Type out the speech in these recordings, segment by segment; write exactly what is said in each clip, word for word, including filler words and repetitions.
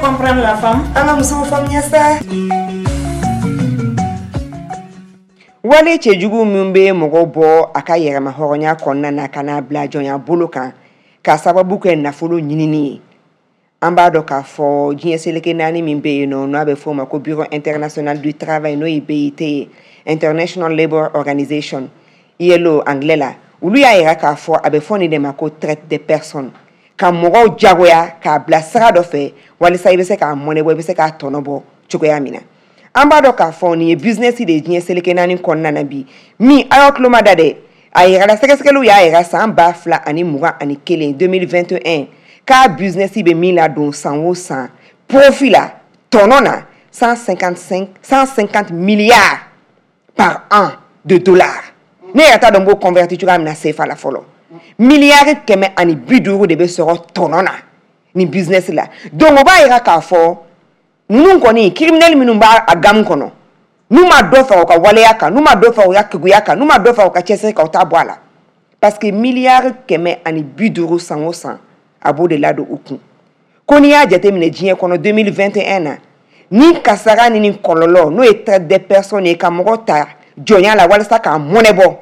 Comprendre la femme. An ka musow faamuya sa. Wale cɛjugu min bɛ mɔgɔ bɔ a ka yɛrɛma hɔrɔnya kɔnɔna na ka n'a bila jɔnya bolo kan k'a sababu kɛ nafolo ɲinini ye. An b'a dɔn k'a fɔ diɲɛ seleke naani min bɛ yen nɔ, n'a bɛ f'o ma ko Bureau international du travail, n'o ye B I T ye, International Labour Organization, I L O anglais la, olu y'a yira k'a fɔ a bɛ fɔ nin de ma ko traite des personnes, ka mɔgɔw jagoya k'a bila sira dɔ fɛ walisa i bɛ se k'a mɔnɛ bɔ, i bɛ se k'a tɔnɔ bɔ cogoya min na. An b'a dɔn k'a fɔ nin ye business de ye diɲɛ seleke naani kɔnɔna na bi min a y'aw tulo ma da dɛ. A yirala sɛgɛsɛgɛliw y'a yira san ba fila ani mugan ani kelen deux mille vingt et un k'a business bɛ min ladon san o san profit la tɔnɔ na cent cinquante-cinq cent cinquante milliards par an de dollars. Ne yɛrɛ t'a dɔn n b'o converti cogoya min na C F A la fɔlɔ. Miliyari kɛmɛ ani bi duuru de bɛ sɔrɔ tɔnɔ na ni business la. Donc o b'a yira k'a fɔ ninnu kɔni criminel minnu b'a a gamme kɔnɔ, n'u ma dɔ fara u ka waleya kan, n'u ma dɔ fara u ka keguya kan, n'u ma dɔ fara u ka cɛsiri kan, u t'a bɔ a la. Parce que miliyari kɛmɛ ani bi duuru san o san a b'o de ladon u kun. Ko n'i y'a jateminɛ diɲɛ kɔnɔ deux mille vingt et un na, ni kasara ni ni kɔlɔlɔ n'o ye traite des personnes ye ka mɔgɔ ta jɔnya la walasa k'a mɔnɛ bɔ,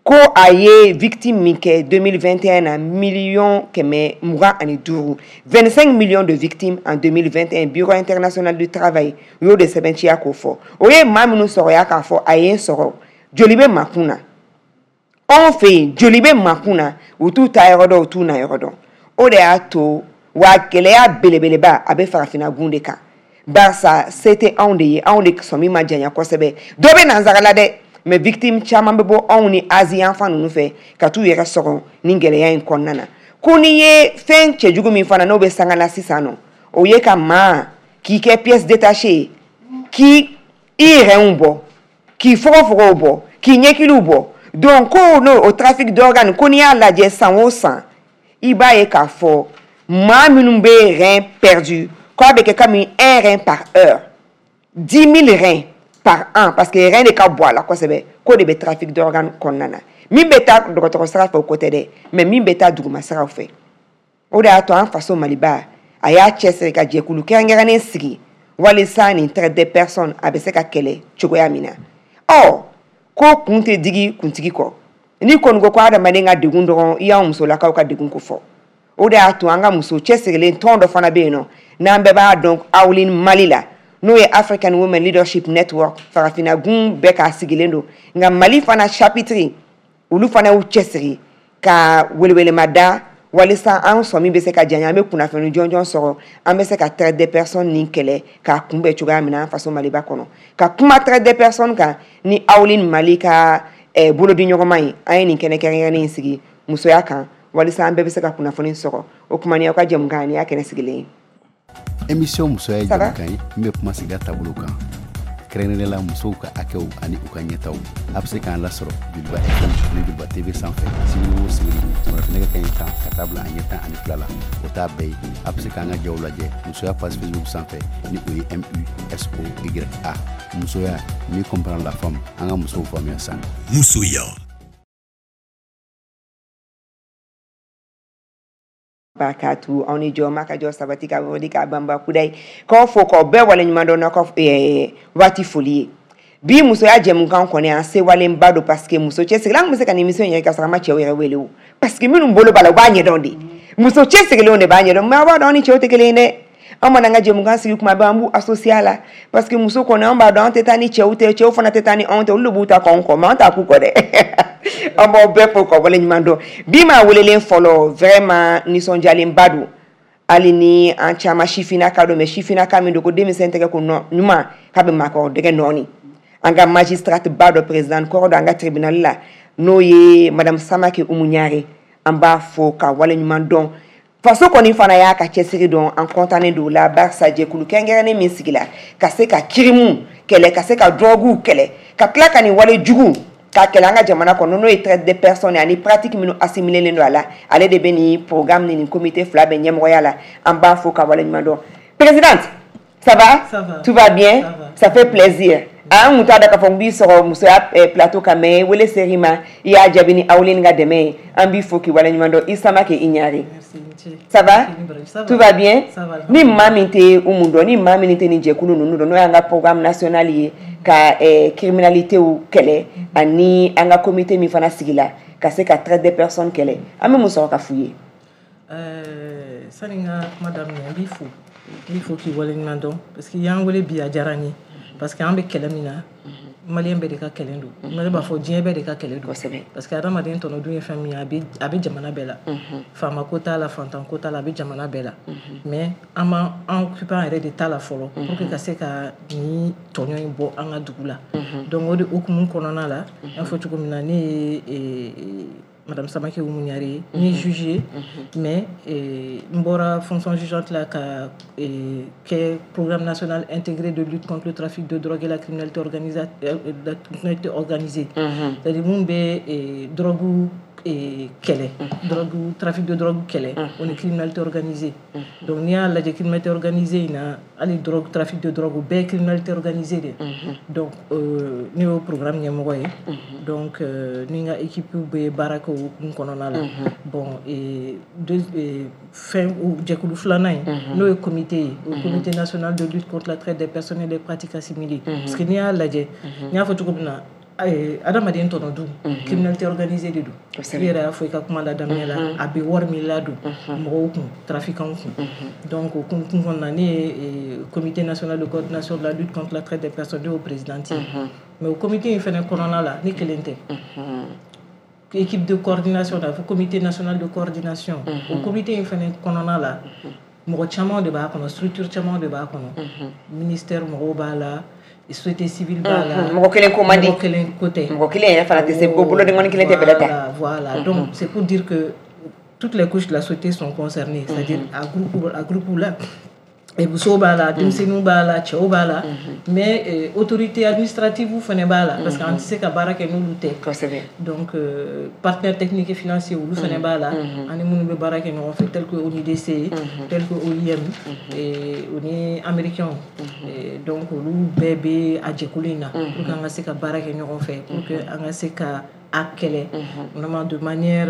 ko a ye victime min kɛ deux mille vingt et un na miliyɔn kɛmɛ mugan ani duuru, vingt-cinq millions de victimes en deux mille vingt et un, Bureau international du travail u y'o de sɛbɛntiya k'o fɔ. O ye maa minnu sɔrɔya k'a fɔ a ye n sɔrɔ, joli bɛ makun na, anw fɛ yen joli bɛ makun na, u t'u ta yɔrɔ dɔn, u t'u na yɔrɔ dɔn. O de y'a to wa gɛlɛya belebeleba a bɛ farafinna gun de kan, barisa se tɛ anw de ye, anw de sɔmi ma janya kosɛbɛ. Dɔ bɛ nansara la dɛ, mais victime caman bɛ bɔ anw ni Asie yan fan ninnu fɛ ka t'u yɛrɛ sɔrɔ nin gɛlɛya in kɔnɔna na. Ko n'i ye fɛn cɛjugu min fana n'o bɛ sanga la sisan nɔ, o ye ka maa k'i kɛ pièce détachée ye, k'i i yɛrɛw bɔ, k'i fogofogow bɔ, k'i ɲɛkiliw bɔ. Donc ko n'o o trafic d'organes, ko n'i y'a lajɛ san o san, i b'a ye k'a fɔ maa minnu bɛ rein perdu, k'a bɛ kɛ comme un rein par heure, dix mille reins par an, parce que rein de ka bɔ a la kosɛbɛ, k'o de bɛ trafic d'organes kɔnɔna na. Min bɛ taa dɔgɔtɔrɔ sira fɛ o ko tɛ dɛ, mais min bɛ taa duguma siraw fɛ. O de y'a to an faso Maliba a y'a cɛsiri ka jɛkulu kɛrɛnkɛrɛnnen sigi walisa nin traite des personnes a bɛ se ka kɛlɛ cogoya min na. Ɔ ko kun tɛ digi kuntigi kɔ, n'i kɔni ko ko adamaden ka degun dɔrɔn, i y'anw musolakaw ka degun ko fɔ. O de y'a to an ka muso cɛsirilen tɔn dɔ fana bɛ yen nɔ, n'an bɛɛ b'a dɔn Awlin Mali la, n'o ye African Women Leadership Network, farafinna gun bɛɛ k'a sigilen don. Nka Mali fana chapitre olu fana y'u cɛsiri ka welewelema da walisa an sɔmi bɛ se ka janya, an bɛ kunnafoni jɔnjɔn sɔrɔ, an bɛ se ka traite des personnes nin kɛlɛ k'a kunbɛn cogoya min na an faso Maliba kɔnɔ. Ka kuma traite des personnes kan ni Awlin Mali ka eh, bolodiɲɔgɔnma ye, an ye nin kɛnɛ kɛrɛnkɛrɛnnen in sigi musoya kan walisa an bɛɛ bɛ se ka kunnafoni sɔrɔ. O kuma ni aw ka jɛmukan ni y'a kɛnɛ sigilen ye. Émission musoya ye jɛmukan ye min bɛ kuma sigida taabolo kan, kɛrɛnkɛrɛnnenya la musow ka hakɛw ani u ka ɲɛtaw. A bɛ se k'an lasɔrɔ Joliba F M ani Joliba T V sanfɛ sibiri o sibiri sɔgɔmada nɛgɛ kanɲɛ tan ka taa bila a ɲɛ tan ani fila la. O t'a bɛɛ ye. A bɛ se k'an ka jaw lajɛ musoya page Facebook sanfɛ ni o ye M U S O Y A. Musoya, mieux comprendre la femme, an ka musow faamuya sa. Musoya. Barakatu aw ni jɔ ma ka jɔ sabati ka wuli ka banba kudayi k'aw fo k'aw bɛɛ waleɲuman dɔn n'aw ka waati foli ye. Bi musoya jɛmukan kɔni an sewalenba don, parce que muso cɛsirilen an tun bɛ se ka nin émission yɛrɛ ka sɔrɔ an ma cɛw yɛrɛ wele o, parce que minnu bolo b'a la u b'a ɲɛdɔn de, muso cɛsirilenw de b'a ɲɛdɔn. Mais aw b'a dɔn aw ni cɛw tɛ kelen ye dɛ. An mana an ka jɛmukan sigi kuma bɛɛ an b'u associer a la, parce que muso kɔni an b'a dɔn an tɛ taa ni cɛw tɛ, cɛw fana tɛ taa ni anw tɛ, olu de b'u ta k'anw kɔ, mais an t'a k'u kɔ dɛ. An b'aw bɛɛ fo k'aw waleɲuman dɔn. Bi maa welelen fɔlɔ vraiment nisɔndiyalenba don, hali ni an caman sifinnaka don, mais sifinnaka min don ko denmisɛn tɛgɛ ko ɲuman k'a bɛ maakɔrɔ dɛgɛ nɔɔni. An ka magistrate ba dɔ président kɔrɔ dɔ an ka tribunal la, n'o ye madame Samake Umu Ɲare, an b'a fo ka waleɲuman dɔn. Faso kɔni fana y'a ka cɛsiri dɔn, an kɔntannen don la, barisa jɛkulu kɛrɛnkɛrɛnnen min sigila ka se ka kirimu kɛlɛ, ka se ka droguw kɛlɛ, ka tila ka nin wale jugu k'a kɛlɛ an ka jamana kɔnɔ, n'o ye traite des personnes ani pratique minnu assimilé don a la, ale de bɛ nin programme ni nin comité fila bɛ ɲɛmɔgɔya la. An b'a fo ka waleɲuman dɔn. Présidente, ça va? Ça va. Tout va bien? Ça va. Ça fait plaisir. An kun t'a dɔn k'a fɔ n b'i sɔrɔ musoya plateau kan, mais wele ser'i ma, i y'a jaabi ni Awuleni ka dɛmɛ ye. An b'i fo k'i waleɲuman dɔn. I Samake, i Ɲare. Ça va? Tout va bien? Ni maa min tɛ Umu dɔn, ni maa min tɛ nin jɛkulu ninnu dɔn, n'o y'an ka programme national ye ka criminalité kɛlɛ, ani an ka comité min fana sigila ka se ka traite des personnes kɛlɛ, an bɛ mun sɔrɔ ka f'u ye? Sani n ka kuma daminɛ, n b'i fo, n b'i fo k'i waleɲuman dɔn, parce que i y'an wele bi, a diyara n ye, parce que an bɛ kɛlɛ min na, maliyɛn bɛɛ de ka kɛlɛ don. Ne b'a fɔ diɲɛ bɛɛ de ka kɛlɛ don, parce que adamaden tɔnɔ dun ye fɛn min ye, a bɛ a bɛ jamana bɛɛ la. Faama ko t'a la, fantan ko t'a la, a bɛ jamana bɛɛ la. Mais an m'an an occuper an yɛrɛ de ta la fɔlɔ, pour que ka se ka nin tɔɲɔ in bɔ an ka dugu la. Donc o de hukumu kɔnɔna la, n y'a fɔ cogo min na, ne ye Madame Samake Oumou Niare ye, n ye juge ye, mais n bɔra fonction jugeante la ka kɛ programme national intégré de lutte contre le trafic de drogue et la criminalité organisée, la criminalité organisée, c'est-à-dire mun bɛ drogue kɛlɛ, drogue, trafic de drogue kɛlɛ, o ni criminalité organisée. Donc n'i y'a lajɛ, criminalité organisée in na, hali drogue, trafic de drogue, o bɛɛ ye criminalité organisée de. Donc ne y'o programme ɲɛmɔgɔ ye. Donc ni n ka équipe bɛ baara kɛ o hukumu kɔnɔna la. Bon, fɛn jɛkulu filanan in, n'o ye comité ye, o comité national de lutte contre la traite des personnes et des pratiques assimilées, parce que n'i y'a lajɛ, n y'a fɔ cogo min na, adamaden tɔnɔ dun, criminalité organisée de don. I yɛrɛ y'a fɔ i ka kuma la daminɛ la, a bɛ wari min ladon mɔgɔw kun, trafiquants kun. Donc o kun kɔnɔna na, ne ye comité national de coordination de la lutte contre la traite des personnes, ne y'o présidente ye. Mais o comité in fɛnɛ kɔnɔna la, ne kelen tɛ. Équipe de coordination la, fo comité national de coordination, o comité in fɛnɛ kɔnɔna la, mɔgɔ caman de b'a kɔnɔ, structure caman de b'a kɔnɔ, ministère mɔgɔw b'a la, société civile b'a la. Mɔgɔ kelen ko man di. Mɔgɔ kelen ko tɛ. Mɔgɔ kelen yɛrɛ fana tɛ se ko bolodenkɔni kelen tɛ bɛlɛ ta. Voilà, donc c'est pour dire que toutes les couches de la société sont concernées, c'est-à-dire à groupe à groupe la, musow b'a la, denmisɛnninw b'a la, cɛw b'a la, mais autorité administrative fana b'a la, parce que an tɛ se ka baara kɛ n'olu tɛ. Kosɛbɛ. Donc partenaires techniques et financiers, olu fana b'a la, ani minnu bɛ baara kɛ ɲɔgɔn fɛ, tel que O N U D C, tel que O I M, o ni américains. Donc olu bɛɛ bɛ a jɛkulu in na, pour que an ka se ka baara kɛ ɲɔgɔn fɛ, pour que an ka se ka a kɛlɛ vraiment de manière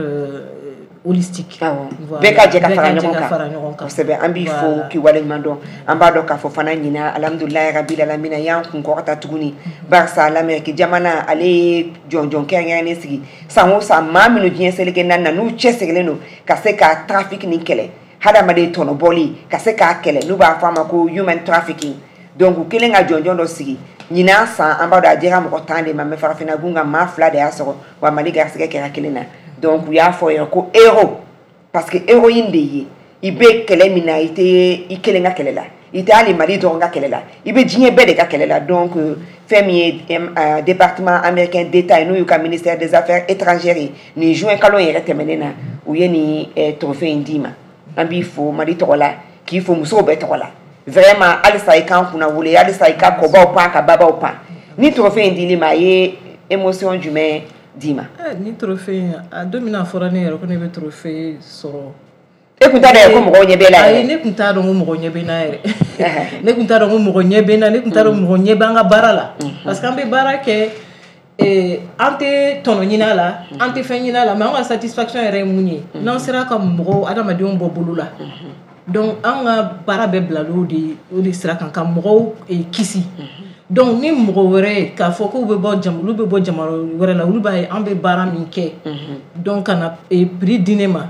holistique. Bɛɛ ka jɛ ka fara ɲɔgɔn kan. Kosɛbɛ, an b'i fo k'i waleɲuman dɔn. An b'a dɔn k'a fɔ fana ɲina, alhamdulilayi rabil alamina, y'an kun kɔrɔta tuguni, barisa l'Amérique jamana, ale ye jɔnjɔn kɛrɛnkɛrɛnnen sigi san o san, maa minnu diɲɛ seleke naani na, n'u cɛsirilen don ka se ka trafic nin kɛlɛ, hadamaden tɔnɔbɔli ka se k'a kɛlɛ, n'u b'a fɔ a ma ko human trafficking. Donc u kɛlen ka jɔnjɔn dɔ sigi ɲinan san, an b'a dɔn a dira mɔgɔ tan de ma, mais farafinna gun kan, maa fila de y'a sɔrɔ, wa Mali garisɛgɛ kɛra kelen na. Donc u y'a fɔ yɛrɛ ko héros, parce que héroïne de ye i bɛ kɛlɛ min na, i tɛ i kelen ka kɛlɛ la, i tɛ hali Mali dɔrɔn ka kɛlɛ la, i bɛ diɲɛ bɛɛ de ka kɛlɛ la. Donc fɛn min ye département américain d'État ye, n'o y'u ka ministère des affaires étrangères ye, nin juin kalo in yɛrɛ tɛmɛnen na, u ye nin trophée in d'i ma. An b'i fo Mali tɔgɔ la, k'i fo musow bɛɛ tɔgɔ la. Vraiment, halisa i k'an kunna wele, halisa i ka kɔbaw pan, ka babaw pan. Ni trophée in dil'i ma, a ye émotion jumɛn d'i ma? Ni trophée in, a don min na a fɔra ne yɛrɛ ko ne bɛ trophée sɔrɔ, E kun t'a dɔn ko mɔgɔw ɲɛ b'e la yɛrɛ? Ayi, ne kun t'a dɔn ko mɔgɔ ɲɛ bɛ n na yɛrɛ. Ne kun t'a dɔn ko mɔgɔ ɲɛ bɛ n na, ne kun t'a dɔn mɔgɔ ɲɛ b'an ka baara la, parce que an bɛ baara kɛ, an tɛ tɔnɔ ɲini a la, an tɛ fɛn ɲini a la, mais an ka satisfaction yɛrɛ ye mun ye? N'an sera ka mɔgɔw, adamadenw bɔ bolo la. Donc an ka baara bɛɛ bila o de o de sira kan, ka mɔgɔw kisi. Donc ni mɔgɔ wɛrɛ k'a fɔ k'u bɛ bɔ jam olu bɛ bɔ jamana wɛrɛ la, olu b'a ye an bɛ baara min kɛ, donc ka na prix di ne ma,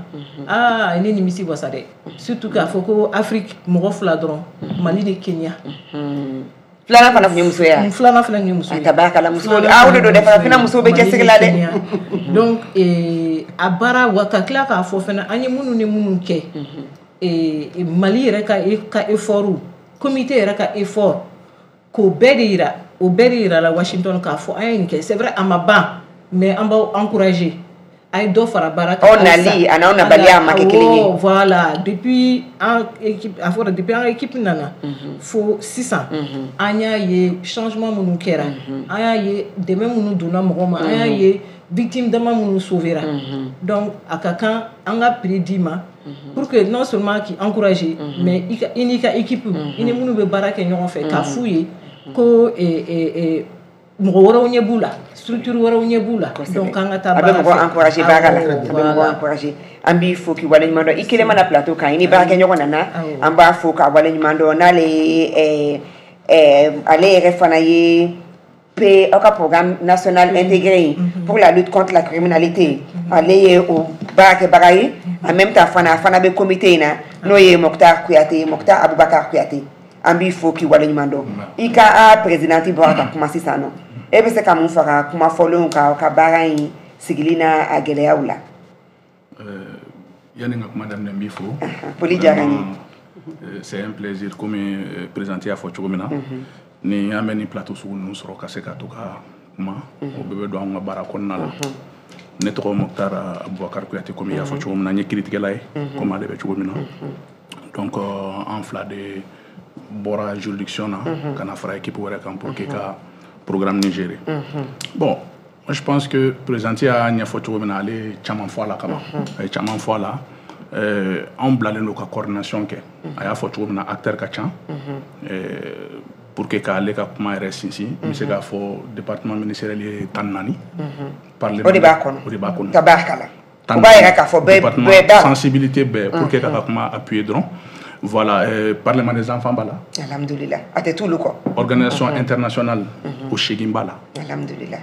aa, ne nimisi wasa dɛ, surtout k'a fɔ ko Afrique mɔgɔ fila dɔrɔn, Mali ni Kenya. Filanan fana tun ye muso ye? Filanan fana tun ye muso ye. A tabarakala, muso, a o de don dɛ, farafinna musow bɛ cɛsiri la dɛ. Donc a baara wa, ka tila k'a fɔ fana an ye minnu ni minnu kɛ, Mali yɛrɛ ka ka effort, comité yɛrɛ ka effort, k'o bɛɛ de yira, o bɛɛ de yira la Washington, k'a fɔ an ye nin kɛ. C'est vrai, a ma ban, mais an b'aw encourager. A ye dɔ fara baara kan. Aw nali a n'aw nabaliya ma kɛ kelen ye. Voilà, depuis an équipe, a fɔra depuis an équipe nana fo sisan, an y'a ye changement minnu kɛra, an y'a ye dɛmɛ minnu donna mɔgɔw ma, an y'a ye victime dama minnu sauvera. Donc a ka kan an ka prix d'i ma pour que non seulement k'i encourager, mais i n'i ka équipe, i ni minnu bɛ baara kɛ ɲɔgɔn fɛ, k'a f'u ye ko mɔgɔ wɛrɛw ɲɛ b'u la, structure wɛrɛw ɲɛ b'u la. Donc an ka taa baara fɛ. A bɛ mɔgɔ encourager baara la, a bɛ mɔgɔ encourager. An b'i fo k'i waleɲuman dɔn. I kelen mana plateau kan, i ni baarakɛɲɔgɔn nana, an b'a fo k'a waleɲuman dɔn. N'ale ye ale yɛrɛ fana ye P aw ka programme national intégré pour la lutte contre la criminalité, ale ye o baarakɛbaga ye. En même temps fana, a fana bɛ comité in na, n'o ye Mokhtar Kouyaté, Mokhtar Aboubacar Kouyaté. An b'i fo k'i waleɲuman dɔn. I ka a présidente bɔra ka kuma sisan nɔ, e bɛ se ka mun fara kuma fɔlenw kan ka baara in sigili n'a a gɛlɛyaw la? Yanni n ka kuma daminɛ, n b'i fo. Foli diyara n ye. C'est un plaisir, komi présidente y'a fɔ cogo min na, ni an bɛ nin plateau sugu ninnu sɔrɔ ka se ka to ka kuma, o bɛɛ bɛ don an ka baara kɔnɔna la. Ne tɔgɔ Mokhtar Aboubacar Kouyaté, komi i y'a fɔ cogo min na, n ye kiiritigɛla ye, komi ale bɛ cogo min na. Donc an fila de bɔra juridiction na ka na fara équipe wɛrɛ kan pour que ka programme ni gérer. Bon, moi je pense que présidente y'a ɲɛfɔ cogo min na, ale ye caman fɔ a la kaban, a ye caman fɔ a la. Anw bilalen don ka coordination kɛ. A y'a fɔ cogo min na, acteur ka ca. Pour que k'ale ka kuma yɛrɛ sinsin, n bɛ se k'a fɔ département ministériel ye tan naani. O de b'a kɔnɔ. O de b'a kɔnɔ. Tabarikala. O b'a yira k'a fɔ bɛɛ bɛɛ b'a. Sensibilité bɛɛ pour que k'a ka kuma appuyer dɔrɔn. Voilà, euh, Parlement des enfants b'a la. Alhamdulillah. A tɛ t'olu kɔ. Organisation internationale o seegin b'a la. Alhamdulillah.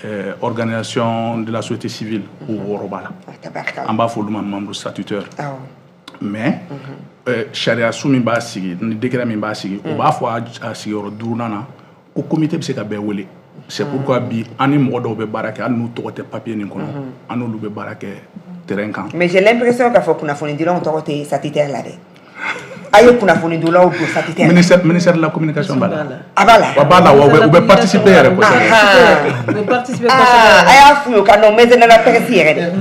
Euh, organisation de la société civile o wɔɔrɔ b'a la. Tabarikala. An b'a fɔ olu ma membre statutaire. Awɔ. Mais sariya su min b'a sigi, ni décret min b'a sigi, o b'a fɔ a sigiyɔrɔ duurunan na ko comité bɛ se ka bɛɛ wele. C'est pourquoi bi an ni mɔgɔ dɔw bɛ baara kɛ, hali n'u tɔgɔ tɛ papier nin kɔnɔ, an n'olu bɛ baara kɛ terrain kan. Mais j'ai l'impression k'a fɔ kunnafonidilaw tɔgɔ tɛ statutaire la dɛ. A ye kunnafonidilaw don statutaire. Ministère ministère de la communication b'a la. A b'a la. Wa b'a la, wa u bɛ participer yɛrɛ kosɛbɛ. U bɛ participer kosɛbɛ. A y'a f'u ye ka nɔ maison de la presse yɛrɛ dɛ.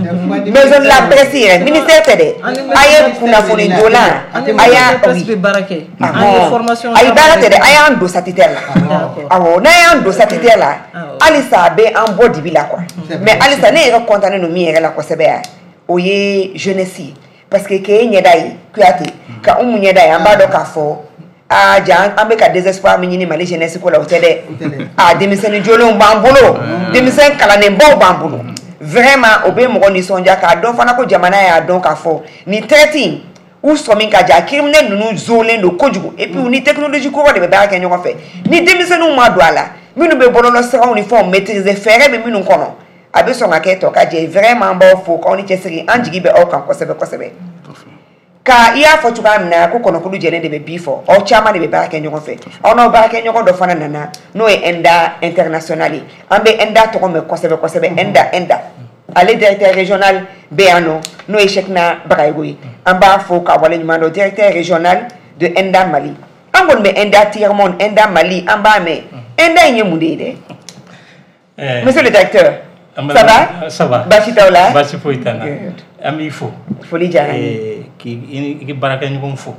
Maison de la presse yɛrɛ, ministère tɛ dɛ. A ye kunnafonidilan, a y'a presse bɛ baara kɛ. An ye formation. Ayi, baara tɛ dɛ, a y'an don statutaire la. Awɔ, n'a y'an don statutaire la, halisa a bɛ an bɔ dibi la quoi. Mais halisa ne yɛrɛ content don min yɛrɛ la kosɛbɛ yan, o ye jeunesse ye. Parce que k'e ɲɛda ye Kouyaté, ka Umu ɲɛda ye, an b'a dɔn k'a fɔ aa ja an bɛ ka désespoir min ɲini Mali jeunesse ko la, o tɛ dɛ. A denmisɛnnin jolenw b'an bolo, denmisɛn kalannenbaw b'an bolo. Vraiment o bɛ mɔgɔ nisɔndiya k'a dɔn fana ko jamana y'a dɔn k'a fɔ nin traite in u sɔmi ka ja, criminel ninnu zolen don kojugu, et puis u ni technologie kuraw de bɛ baara kɛ ɲɔgɔn fɛ. Ni denmisɛnninw ma don a la, minnu bɛ bɔlɔlɔsiraw ni fɛnw maîtriser, fɛɛrɛ bɛ minnu kɔnɔ, a bɛ sɔn ka kɛ tɔ ka jɛ. Vraiment an b'aw fo k'aw ni cɛsiri, an jigi bɛ aw kan kosɛbɛ kosɛbɛ. Ka i y'a fɔ cogoya min na ko kɔnɔkulu jɛlen de bɛ bi fɔ, aw caman de bɛ baara kɛ ɲɔgɔn fɛ. Aw n'aw baarakɛɲɔgɔn dɔ fana nana, n'o ye ENDA international ye. An bɛ ENDA tɔgɔ mɛn kosɛbɛ kosɛbɛ, ENDA ENDA. Ale directeur régional bɛ yan nɔ, n'o ye Cheikhna Bagayogo ye. An b'a fo k'a waleɲuman dɔn, directeur régional de ENDA Mali. An kɔni bɛ ENDA tiers monde, ENDA Mali, an b'a mɛn. ENDA in ye mun de ye dɛ? Monsieur le directeur. Ça va? Ça va. Baasi t'aw la? Baasi foyi t'an na. An b'i fo. Foli diyara n ye. K'i i baarakɛɲɔgɔnw fo.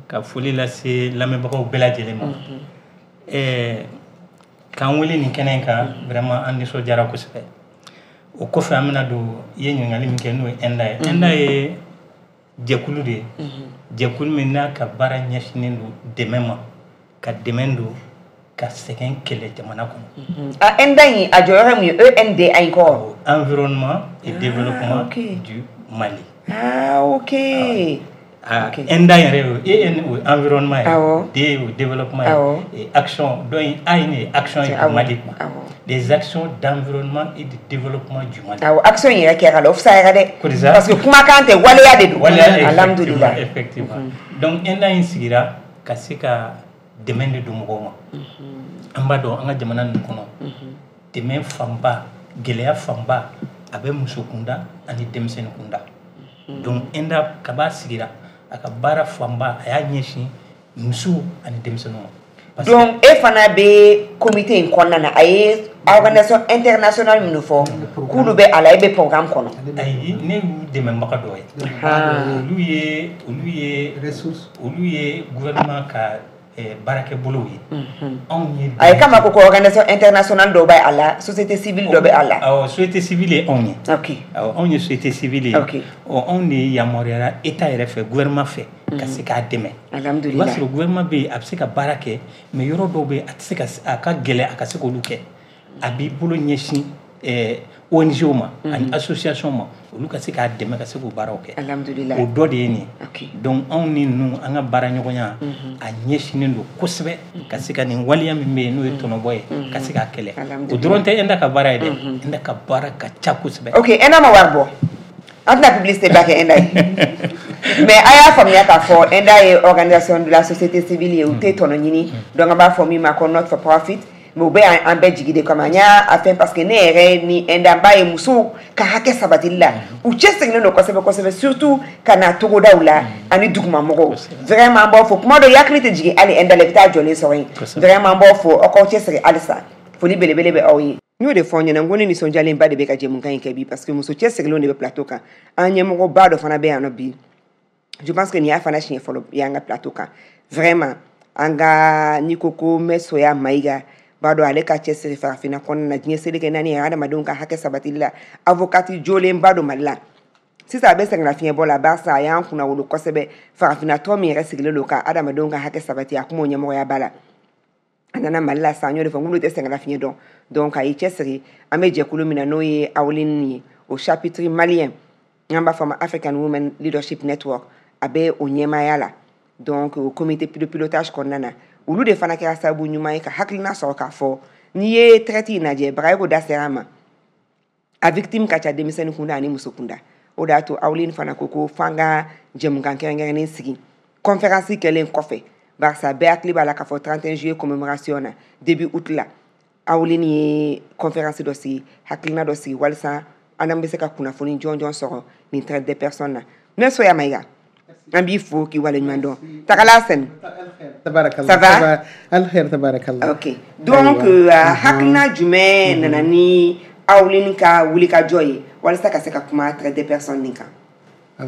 Ka foli lase lamɛnbagaw bɛɛ lajɛlen ma. K'an wele nin kɛnɛ in kan, vraiment an nisɔndiyara kosɛbɛ. O kɔfɛ an bɛna don i ye ɲininkali min kɛ, n'o ye ENDA ye. ENDA ye jɛkulu de ye. Jɛkulu min n'a ka baara ɲɛsinnen don dɛmɛ ma, ka dɛmɛ don ka sɛgɛn kɛlɛ jamana kɔnɔ. A ENDA in a jɔyɔrɔ ye mun ye? E N D A in kɔrɔ. Environnement et développement du Mali. Ah ok. Ah, ENDA yɛrɛ ye E N o ye environnement ye, D o ye développement ye, et action donc A in ye action ye Mali quoi. Des actions d'environnement et de développement du Mali. Awɔ, action in yɛrɛ kɛra la, o fisayara dɛ. Parce que kumakan tɛ, waleya de don. Waleya, alhamdulillah. Effectivement. Donc ENDA in sigira ka se ka dɛmɛ de don mɔgɔw ma. An b'a dɔn an ka jamana ninnu kɔnɔ, dɛmɛ fanba, gɛlɛya fanba a bɛ muso kunda ani denmisɛnnin kunda. Donc ENDA kaba sigira a ka baara fanba a y'a ɲɛsin musow ani denmisɛnninw ma. Donc e fana bɛ comité in kɔnɔna na, a ye organisation internationale minnu fɔ k'olu bɛ a la, e bɛ programme kɔnɔ? Ayi, ne y'u dɛmɛbaga dɔ ye. Olu ye olu ye olu ye gouvernement ka baarakɛbolow ye. Anw ye a ye kama ko ko organisation internationale dɔ bɛ a la, société civile dɔ bɛ a la. Awɔ, société civile ye anw ye. Ok. Awɔ, anw ye société civile ye. Ok. Ɔ, anw de yamaruyara état yɛrɛ fɛ, gouvernement fɛ, ka se k'a dɛmɛ. Alhamdulillah. I b'a sɔrɔ gouvernement bɛ yen, a bɛ se ka baara kɛ, mais yɔrɔ dɔw bɛ yen, a tɛ se ka, a ka gɛlɛn a ka se k'olu kɛ. A b'i bolo ɲɛsin O N G ma ani association ma, olu ka se k'a dɛmɛ ka se k'o baaraw kɛ. Alhamdulillah. O dɔ de ye nin ye. Ok. Donc anw ni ninnu, an ka baara ɲɔgɔnya a ɲɛsinnen don kosɛbɛ ka se ka nin waleya min bɛ yen n'o ye tɔnɔbɔ ye, ka se k'a kɛlɛ. O dɔrɔn tɛ ENDA ka baara ye dɛ, ENDA ka baara ka ca kosɛbɛ. Ok, ENDA ma wari bɔ, an tɛna publicité ba kɛ ENDA ye, mais a y'a faamuya k'a fɔ ENDA ye organisation de la société civile ye, u tɛ tɔnɔ ɲini. Donc an b'a fɔ min ma ko not for profit. Mais u bɛ an bɛɛ jigi de kama. N y'a fɛn parce que ne yɛrɛ ni ENDA, n b'a ye musow ka hakɛ sabatili la, u cɛsirilen don kosɛbɛ kosɛbɛ, surtout ka na togodaw la ani dugumamɔgɔw. Vraiment, an b'aw fo. Kuma dɔ, hakili tɛ jigin hali ENDA la, i bɛ taa jɔlen sɔrɔ yen. Vraiment, an b'aw fo, aw k'aw cɛsiri halisa. Foli belebele bɛ aw ye. N y'o de fɔ aw ɲɛna, n ko ne nisɔndiyalenba de bɛ ka jɛmukan in kɛ bi, parce que muso cɛsirilenw de bɛ plateau kan. An ɲɛmɔgɔba dɔ fana bɛ yan nɔ bi. Je pense que nin y'a fana siɲɛ fɔlɔ y'an ka plateau kan. Vraiment, an ka n'i ko ko Mɛsoya Mayiga, b'a dɔn ale ka cɛsiri farafinna kɔnɔna na, diɲɛ seleke naani ye adamadenw ka hakɛ sabatili la, avocat jolenba don Mali la. Sisan a bɛ sɛgɛnnafiɲɛbɔ la, barisa a y'an kunna wolo kosɛbɛ. Farafinna tɔ min yɛrɛ sigilen don ka adamadenw ka hakɛ sabati, a kuma o ɲɛmɔgɔya ba la. A nana Mali la sisan, n y'o de fɔ, n k'olu tɛ sɛgɛnnafiɲɛ dɔn. Donc a y'i cɛsiri. An bɛ jɛkulu min na n'o ye AWLIN ye, o chapitre malien, n'an b'a fɔ a ma African Women Leadership Network, a bɛ o ɲɛmaaya la. Donc o comité de pilotage kɔnɔna na, olu de fana kɛra sababu ɲuman ye ka hakilina sɔrɔ k'a fɔ n'i ye traite in lajɛ, Bagayoko da sera a ma, a victime ka ca denmisɛnnin kunda ani muso kunda. O de y'a to AWLIN fana ko ko f'an ka jɛmukan kɛrɛnkɛrɛnnen sigi conférence kɛlen kɔfɛ, barisa bɛɛ hakili b'a la k'a fɔ trente et un juillet commémoration na, début août la, AWLIN ye conférence dɔ sigi, hakilina dɔ sigi walasa an bɛ se ka kunnafoni jɔnjɔn sɔrɔ nin traite des personnes na. Mɛsoya Mayiga, an b'i fo k'i waleɲuman dɔn. Tagala Sɛni. Tabarakallah. Ça va? Alkhair, tabarakallah. Ok. Donc hakilina jumɛn nana ni AWLIN ka wulikajɔ ye walasa ka se ka kuma traite des personnes nin kan?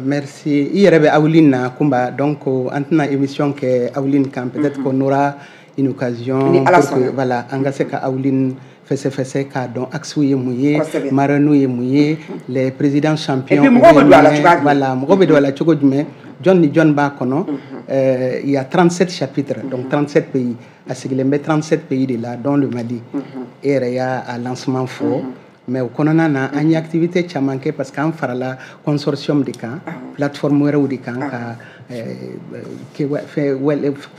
Merci. I yɛrɛ bɛ AWLIN na Kunba, donc an tɛna émission kɛ AWLIN kan, peut-être qu'on aura une occasion pour que voilà, an ka se ka AWLIN fɛsɛfɛsɛ k'a dɔn axe ye mun ye, marraine ye mun ye, les présidents champions. Et puis mɔgɔw bɛ don a la cogoya jumɛn? Voilà, mɔgɔw bɛ don a la cogo jumɛn? Jɔn ni jɔn b'a kɔnɔ? Il y a trente-sept chapitres, donc trente-sept pays. A sigilen bɛ trente-sept pays de la, dont le Mali. E yɛrɛ y'a lancement fɔ. Mais o kɔnɔna na, an ye activité caman kɛ parce que an farala consortium de kan, plateforme wɛrɛw de kan ka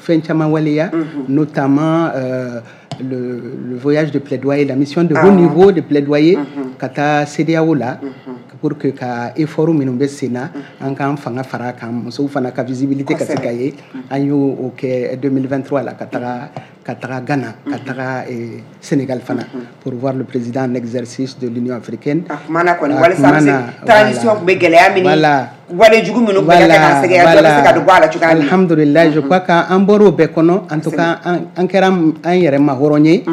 fɛn caman waleya, notamment euh, le, le voyage de plaidoyer, la mission de haut niveau de plaidoyer ka taa CEDEAO la, pour que ka effort minnu bɛ sen na, an k'an fanga fara kan, musow fana ka visibilité ka se ka ye. An y'o o kɛ deux mille vingt-trois la, ka taga ka taga Ghana, ka taga Sénégal fana, pour voir le président en exercice de l'Union africaine. A kumana kɔni walasa an bɛ se transition tun bɛ gɛlɛya min ni wale jugu minnu tun bɛ ka kɛ k'an sɛgɛrɛ, dɔ bɛ se ka bɔ a la cogoya min. Alhamdulillah, je crois qu'an bɔr'o bɛɛ kɔnɔ. En tout cas, an kɛra an yɛrɛ ma hɔrɔn ye.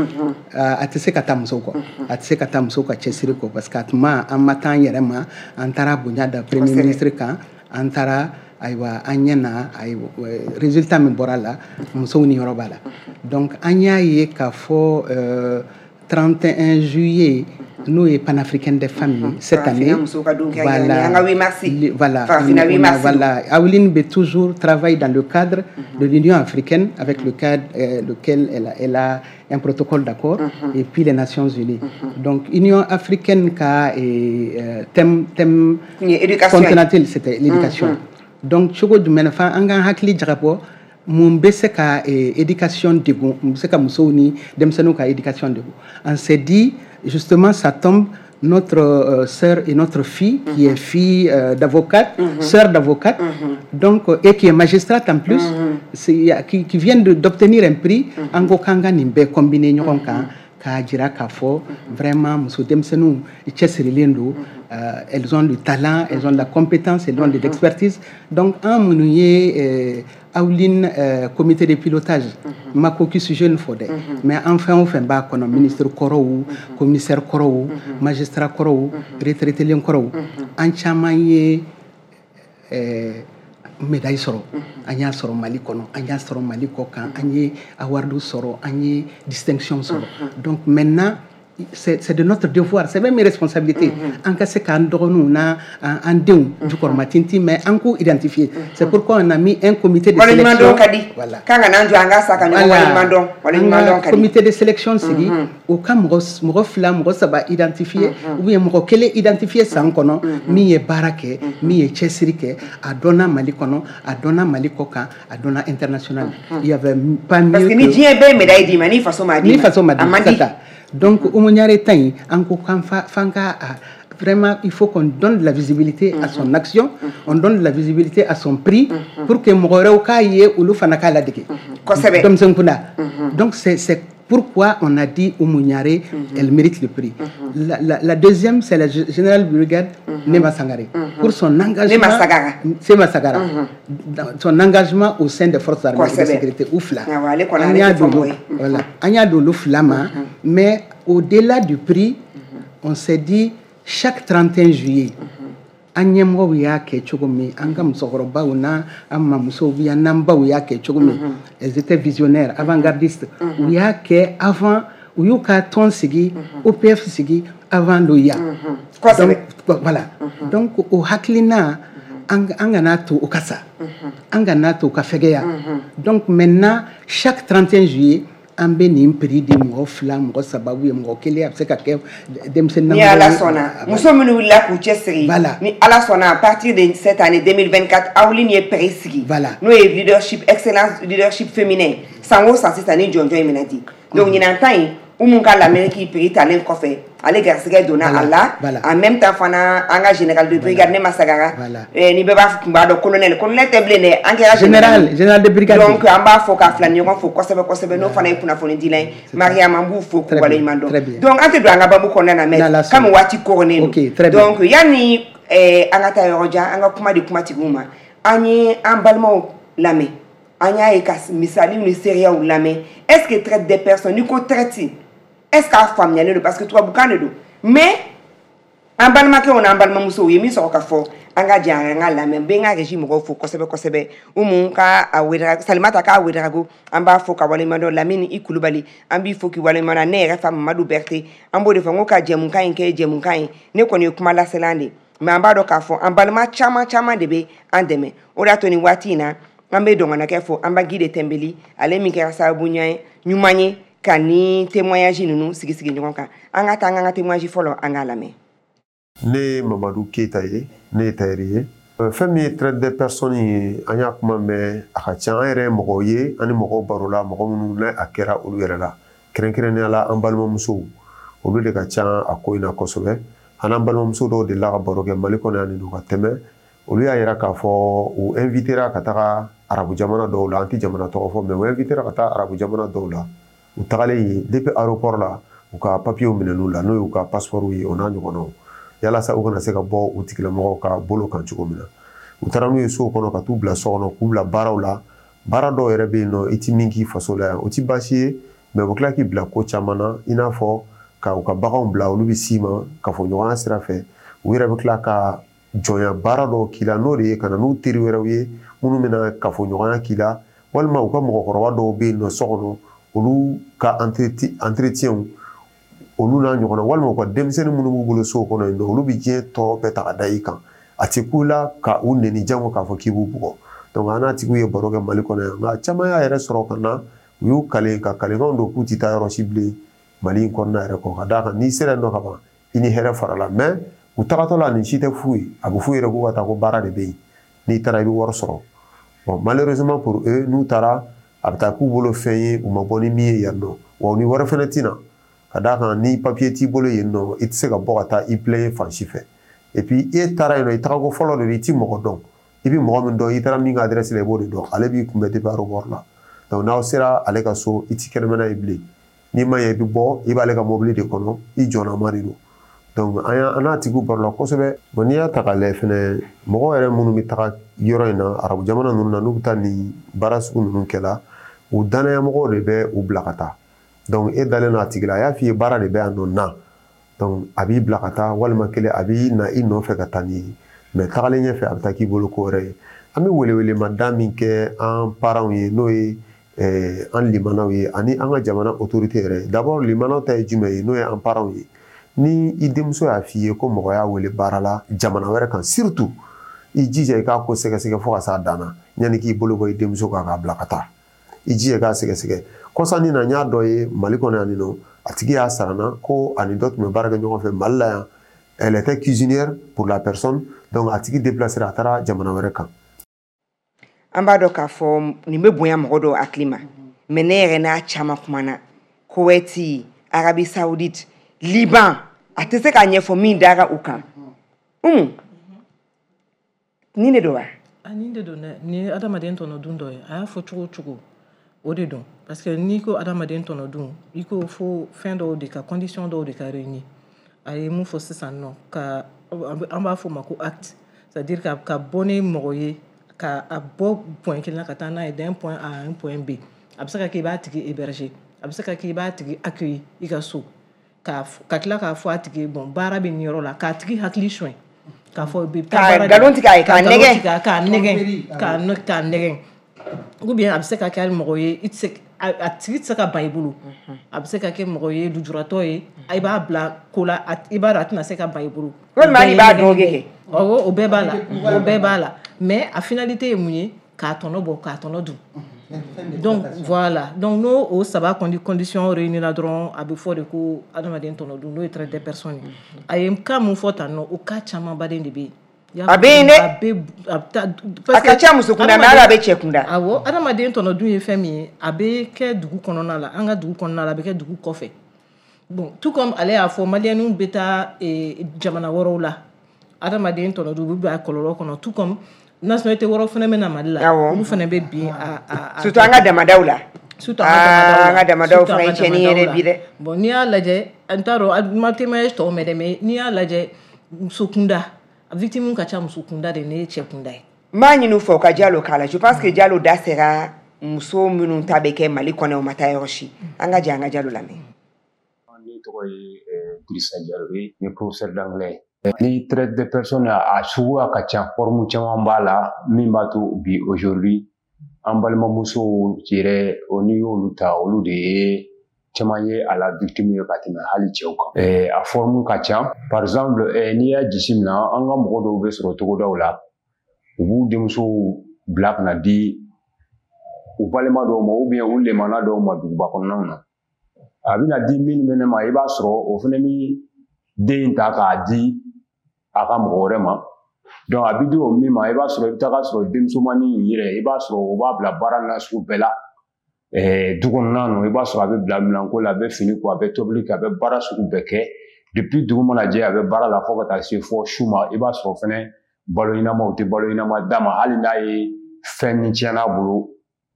A tɛ se ka taa musow kɔ, a tɛ se ka taa musow ka cɛsiri kɔ, parce que a tuma an ma taa an yɛrɛ ma, an taara bonya da premier ministre kan, an taara ayiwa an ɲɛ na, ayiwa résultat min bɔra la, musow ni yɔrɔ b'a la. Donc an y'a ye k'a fɔ trente et un juillet, n'o ye panafricaine des femmes cette année. Voilà, voilà, voilà. AWLIN bɛ toujours travaille dans le cadre de l'Union africaine, avec le cadre euh, lequel elle a, elle a un protocole d'accord, et puis les Nations Unies. Donc Union africaine ka euh, thème thème continental, c'était l'éducation. Donc cogo jumɛn fa an k'an hakili jagabɔ mun bɛ se ka éducation degun, mun bɛ se ka musow ni denmisɛnninw ka éducation degun. On s'est dit justement, ça tombe, notre euh, sœur et notre fille, mm-hmm. qui est fille euh, d'avocate, mm-hmm. sœur d'avocate, mm-hmm. donc, et qui est magistrate en plus, mm-hmm. c'est, qui, qui vient de, d'obtenir un prix, an ko k'an ka nin bɛɛ combiner ɲɔgɔn kan, k'a jira k'a fɔ vraiment muso denmisɛnninw cɛsirilen don, elles ont du talent, elles ont de la compétence, elles ont de l'expertise. Donc an minnu ye Awlin euh, comité de pilotage ma caucus jeune fɔ dɛ, mais an fɛn o fɛn b'a kɔnɔ, ministre kɔrɔw, commissaire kɔrɔw, magistrat kɔrɔw, retraité kɔrɔw, an caman ye euh, médaille sɔrɔ. An y'a sɔrɔ Mali kɔnɔ, an y'a sɔrɔ Mali kɔ kan, an ye award sɔrɔ, an ye distinction sɔrɔ. Donc maintenant, c'est c'est de notre devoir, c'est même une responsabilité, an ka se k'an dɔgɔninw n'a an denw jukɔrɔma tintin, mais an k'u identifier. C'est pourquoi on a mis un comité de sélection. Ka di. Voilà. K'an ka n'an jɔ an ka sa ka ɲɔgɔn waleɲuman dɔn, waleɲuman dɔn ka di. Comité de sélection sigi, o ka mɔgɔ mɔgɔ fila, mɔgɔ saba identifier, ou bien mɔgɔ kelen identifier san kɔnɔ, min ye baara kɛ, min ye cɛsiri kɛ, a dɔnna Mali kɔnɔ, a dɔnna Mali kɔ kan, a dɔnna international. Il y avait pas mieux. Parce que ni diɲɛ bɛɛ ye médaille d'i ma, ni faso m'a d'i ma, ni faso ma a man di. Donc, Oumou Niaré ta in, an ko k'an fa f'an ka vraiment, il faut qu'on donne de la visibilité à son action, on donne de la visibilité à son prix, pour que mɔgɔ wɛrɛw k'a ye, olu fana k'a ladege. Kosɛbɛ. Denmisɛn kunda. Donc, c'est c'est pourquoi on a dit Oumou Niaré, elle mérite le prix. La, la, la deuxième, c'est la générale brigade Nema Sangaré, pour son engagement. Nema Sagara. Nema Sagara. Son engagement au sein des forces armées et de sécurité, u fila. Ale An y'a don, voilà. An y'a don olu fila ma, mais au-delà du prix, on s'est dit, chaque trente et un juillet, an ɲɛmɔgɔw y'a kɛ cogo min, an ka musokɔrɔbaw n'a an mamusow bi n'an baw y'a kɛ cogo min, elles étaient visionnaires, avant-gardistes. U y'a kɛ avant, u y'u ka tɔn sigi, O P F sigi avant l'O I A. Kosɛbɛ. Donc voilà, donc o hakilina, an an kana to o ka sa, an kana to o ka fɛgɛya. Donc maintenant, chaque trente et un juillet, an bɛ nin prix di mɔgɔ fila, mɔgɔ saba, ou bien mɔgɔ kelen, a bɛ se ka kɛ denmisɛnnin. Ni Ala sɔnna, muso minnu wulila k'u cɛsiri, Voilà. ni Ala sɔnna, à partir de cette année deux mille vingt-quatre, Awlin ye prix sigi, Voilà. n'o ye leadership, excellence leadership féminin. San o san sisan, ni jɔnjɔn in bɛna di. Donc ɲinan ta in, Umu ka l'Amérique prix talen kɔfɛ, ale garisɛgɛ donna a la. En même temps fana, an ka général de brigade Nema Sagara, eh, ni bɛɛ b'a tun b'a dɔn, colonel, colonel tɛ bilen dɛ, an kɛra général, général de brigade. Donc an b'a fɔ k'a fila ni ɲɔgɔn fo kosɛbɛ kosɛbɛ. N'o fana ye kunnafonidila ye, Mariam, an b'u fo k'u waleɲuman dɔn. Donc an tɛ don an ka babu kɔnɔna na, mais comme waati koronnen don, donc yanni eh, an ka taa yɔrɔ jan, an ka kuma di kumatigiw ma. An ye an balimaw lamɛn, an y'a ye ka misaliw ni seereyaw lamɛn. Est ce que traite des personnes, n'i ko traite, est ce qu'a faamuyalen don? Parce que tubabukan de don, mais an balimakɛw n'an balimamusow ye min sɔrɔ ka fɔ, an ka jɛ an ka lamɛn. N bɛ n ka régie mɔgɔw fo kosɛbɛ kosɛbɛ. Umu ka a Wedara, Salimata k'a Wedarago, an b'a fo ka waleɲuman dɔn. Lamini i Kulubali, an b'i fo k'i waleɲuman dɔn. Ne yɛrɛ fa Mamadu Berete, an b'o de fɔ, n ko ka jɛmukan in kɛ jɛmukan ye. Ne kɔni ye kuma laselan de, mais an b'a dɔn k'a fɔ an balima caman caman de bɛ an dɛmɛ. O de y'a to nin waati in na, an bɛ dɔngɔnakɛ fo, an ba Guy Tɛnbeli, ale min kɛra sababu ɲuman ye ka ni témoignage ninnu sigi sigi ɲɔgɔn kan. An ka taa an ka témoignage fɔlɔ, an k'a lamɛn. Ne ye Mamadu Keyita ye, ne ye tailleur ye. Fɛn min ye traite des personnes ye, an y'a kuma mɛn, a ka ca. An yɛrɛ ye mɔgɔw ye, an ni mɔgɔw barola, mɔgɔ minnu n'a a kɛra olu yɛrɛ la, kɛrɛnkɛrɛnnenya la an balimamusow, olu de ka ca a ko in na kosɛbɛ. An n'an balimamuso dɔw delila ka baro kɛ Mali kɔnɔ yan nin ka tɛmɛ, olu y'a yira k'a fɔ u invitera ka taga arabu jamana dɔw la. An tɛ jamana tɔgɔ fɔ, mais u invitera ka taa arabu jamana dɔw la. U tagalen yen, depuis aéroport la, u ka papiers minɛn'u la, n'o y'u ka passeport ye, o n'a ɲɔgɔnnaw, yalasa u kana se ka bɔ u tigilamɔgɔw ka bolo kan cogo min na. U taara n'u ye sow kɔnɔ ka t'u bila so kɔnɔ, k'u bila baaraw la. Baara dɔw yɛrɛ bɛ yen nɔ, i ti min k'i faso la yan, o ti baasi ye, mais u bɛ tila k'i bila ko caman na, i n'a fɔ ka u ka baganw bila, olu bɛ s'i ma kafoɲɔgɔnya sira fɛ. U yɛrɛ bɛ tila ka jɔnya baara dɔw k'i la, n'o de ye ka na n'u teri wɛrɛw ye minnu bɛna kafoɲɔgɔnya k'i la, walima u ka mɔgɔkɔrɔba dɔw bɛ yen nɔ so kɔnɔ, olu ka entretien, olu n'a ɲɔgɔnna, walima u ka denmisɛnnin minnu b'u bolo so kɔnɔ yen nɔ, olu bɛ diɲɛ tɔɔrɔ bɛɛ ta ka da i kan. A tɛ ku la ka u neni jango k'a fɔ k'i b'u bugɔ. Donc an n'a tigiw ye baro kɛ Mali kɔnɔ yan, nka caman y'a yɛrɛ sɔrɔ ka na, u y'u kale ka kalekanw don k'u tɛ taa yɔrɔ si bilen Mali in kɔnɔna yɛrɛ kɔ, ka d'a kan n'i sera yen nɔ ka ban, i ni hɛrɛ farala. Mais u tagatɔ la, nin si tɛ f'u ye, a bɛ f'u yɛrɛ k'u ka taa ko baara de bɛ yen, n'i taara i bɛ wari sɔrɔ. Bon, malheureusement pour eux, n'u taara, a bɛ taa k'u bolo fɛn ye u ma bɔ ni min ye yan nɔ, wa u ni wari fɛnɛ tɛ na, ka d'a kan ni papier t'i bolo yen nɔ, i tɛ se ka bɔ ka taa i plaigner fan si fɛ. Et puis e taara yen nɔ, i tagako fɔlɔ de don, i ti mɔgɔ dɔn. I bɛ mɔgɔ min dɔn, i taara min ka adresse la, i b'o de dɔn. Ale b'i kunbɛn depuis aéroport la. Donc n'aw sera ale ka so, i ti kɛnɛmana ye bilen. N'i ma ɲɛ, i bɛ bɔ, i b'ale ka mobili de kɔnɔ, i jɔnnama de don. Donc an n'a tigiw barola kosɛbɛ. Bon, n'i y'a ta k'a lajɛ fɛnɛ, mɔgɔ yɛrɛ minnu bɛ taga yɔrɔ in na, arabu jamana ninnu na, n'u bɛ taa nin baara sugu ninnu kɛ la, u danayamɔgɔw de bɛ u bila ka taa. Donc e dalen don a tigi la, a y'a f'i ye baara de bɛ yan nɔ na, donc a b'i bila ka taa, walima kelen a b'i na i nɔfɛ ka taa n'i ye, mais tagalen ɲɛfɛ a bɛ taa k'i bolo ko wɛrɛ ye. An bɛ welewelemada min kɛ an parents ye, n'o ye an limanaw ye ani an ka jamana autorité yɛrɛ ye. D'abord limanaw ta ye jumɛn ye, n'o ye an parents ye. Ni i denmuso y'a f'i ye ko mɔgɔ y'a wele baara la jamana wɛrɛ kan, surtout i jija i k'a ko sɛgɛsɛgɛ fo ka s'a dan na yanni k'i bolo bɔ i denmuso kan k'a bila ka taa. I jija i k'a sɛgɛsɛgɛ. Kɔsannin na, n y'a dɔ ye Mali kɔnɔ yan nɔ, a tigi y'a sara n na ko ani dɔ tun bɛ baara kɛ ɲɔgɔn fɛ Mali la yan. Elle était cuisinière pour la personne, donc a tigi déplacé, a taara jamana wɛrɛ kan. An b'a dɔn k'a fɔ nin bɛ bonya mɔgɔ dɔw hakili ma, mais ne yɛrɛ n'a caman kumana Koweït, Arabie Saoudite, Liban, a tɛ se k'a ɲɛfɔ min dara u kan. Umu, nin de don wa? A nin de don dɛ. Nin ye adamaden tɔnɔ dun dɔ ye. A y'a fɔ cogo o cogo, o de don, parce que n'i ko adamaden tɔnɔ dun, i ko fo fɛn dɔw de ka condition dɔw de ka réunir. A ye mun fɔ sisan nɔ, ka an b'a fɔ o ma ko acte, c'est à dire ka ka bɔ ni mɔgɔ ye, ka a bɔ point kelen na ka taa n'a ye d'un point A à un point B. A bɛ se ka kɛ i b'a tigi héberger, a bɛ se ka kɛ i b'a tigi accueillir i ka so, ka ka tila k'a fɔ a tigi ye bon, baara bɛ nin yɔrɔ la, k'a tigi hakili suɲɛ, k'a fɔ bɛ taa baara, nkalon tigɛ a ye, k'a nɛgɛn, k'a nɛgɛn, k'a k'a nɛgɛn. Ou bien a bɛ se ka kɛ hali mɔgɔ ye, i tɛ se, a tigi tɛ se ka ban i bolo. A bɛ se ka kɛ mɔgɔ ye, lujuratɔ ye, i b'a bila ko la, i b'a dɔn a tɛna se ka ban i bolo. Walima hali i b'a dɔn kɛ. Awɔ, o bɛɛ b'a la, o bɛɛ b'a la. Mais a finalité ye mun ye? K'a tɔnɔ bɔ, k'a tɔnɔ dun. Donc voilà, donc n'o o saba condition réunir la dɔrɔn, a bɛ fɔ de ko adamaden tɔnɔ dun, n'o ye traite des personnes ye. A ye cas mun fɔ tan nɔ, o cas camanbaden de bɛ yen. A bɛ yen dɛ. A bɛ a bɛ taa. A ka ca muso kunda, mais hali a bɛ cɛ kunda. Awɔ, adamaden tɔnɔ dun ye fɛn min ye, a bɛ kɛ dugu kɔnɔna la, an ka dugu kɔnɔna la, a bɛ kɛ dugu kɔfɛ. Bon, tout comme ale y'a fɔ, maliyɛnw bɛ taa jamana wɛrɛw la, adamaden tɔnɔ dun, u bɛ bila kɔlɔlɔ kɔnɔ, tout comme nationalité wɛrɛw fana bɛ na Mali la, olu fana bɛ bin a a. Surtout an ka damadaw la. Surtout an ka damadaw la. An ka damadaw fana ye tiɲɛni ye dɛ bi dɛ. Bon, n'i y'a lajɛ, n t'a dɔn, n ma témoignage tɔw mɛn dɛ, mais n'i y'a lajɛ muso kunda, victime ka ca muso kunda de ne ye cɛ kunda ye. N b'a ɲini u fɛ u ka Jalo k'a la. Je pense que Jalo da sera muso minnu ta bɛ kɛ Mali kɔnɔ, u ma taa yɔrɔ si. An ka jɛ an ka Jalo lamɛn. Ne tɔgɔ ye Dirisa Jalo ye, n ye professeur d'anglais. Ni traite de personnes, a suguya ka ca, forme caman b'a la min b'a to bi aujourd'hui an balimamusow yɛrɛ, o n'i y'olu ta, olu de ye caman ye a la victime ye ka tɛmɛ hali cɛw kan. A forme ka ca. Par exemple, n'i y'a jateminɛ, an ka mɔgɔ dɔw bɛ sɔrɔ togodaw la, u b'u denmusow bila ka na di u balima dɔw ma ou bien u lemana dɔw ma duguba kɔnɔnaw na. A bɛna di min fɛnɛ ma, i b'a sɔrɔ o fɛnɛ bi den ta k'a di a ka mɔgɔ wɛrɛ ma. Donc a bɛ di o min ma, i b'a sɔrɔ i bɛ taga sɔrɔ denmusomanin in yɛrɛ, i b'a sɔrɔ o b'a bila baara nasugu bɛɛ la. Du kɔnɔna na, i b'a sɔrɔ a bɛ bila minɛnko la, a bɛ fini ko, a bɛ tobili kɛ, a bɛ baara sugu bɛɛ kɛ. Depuis dugu mana jɛ, a bɛ baara la fo ka taa se fɔ su ma. I b'a sɔrɔ fɛnɛ balo ɲɛnama, u tɛ balo ɲɛnama d'a ma. Hali n'a ye fɛn min tiɲɛna a bolo,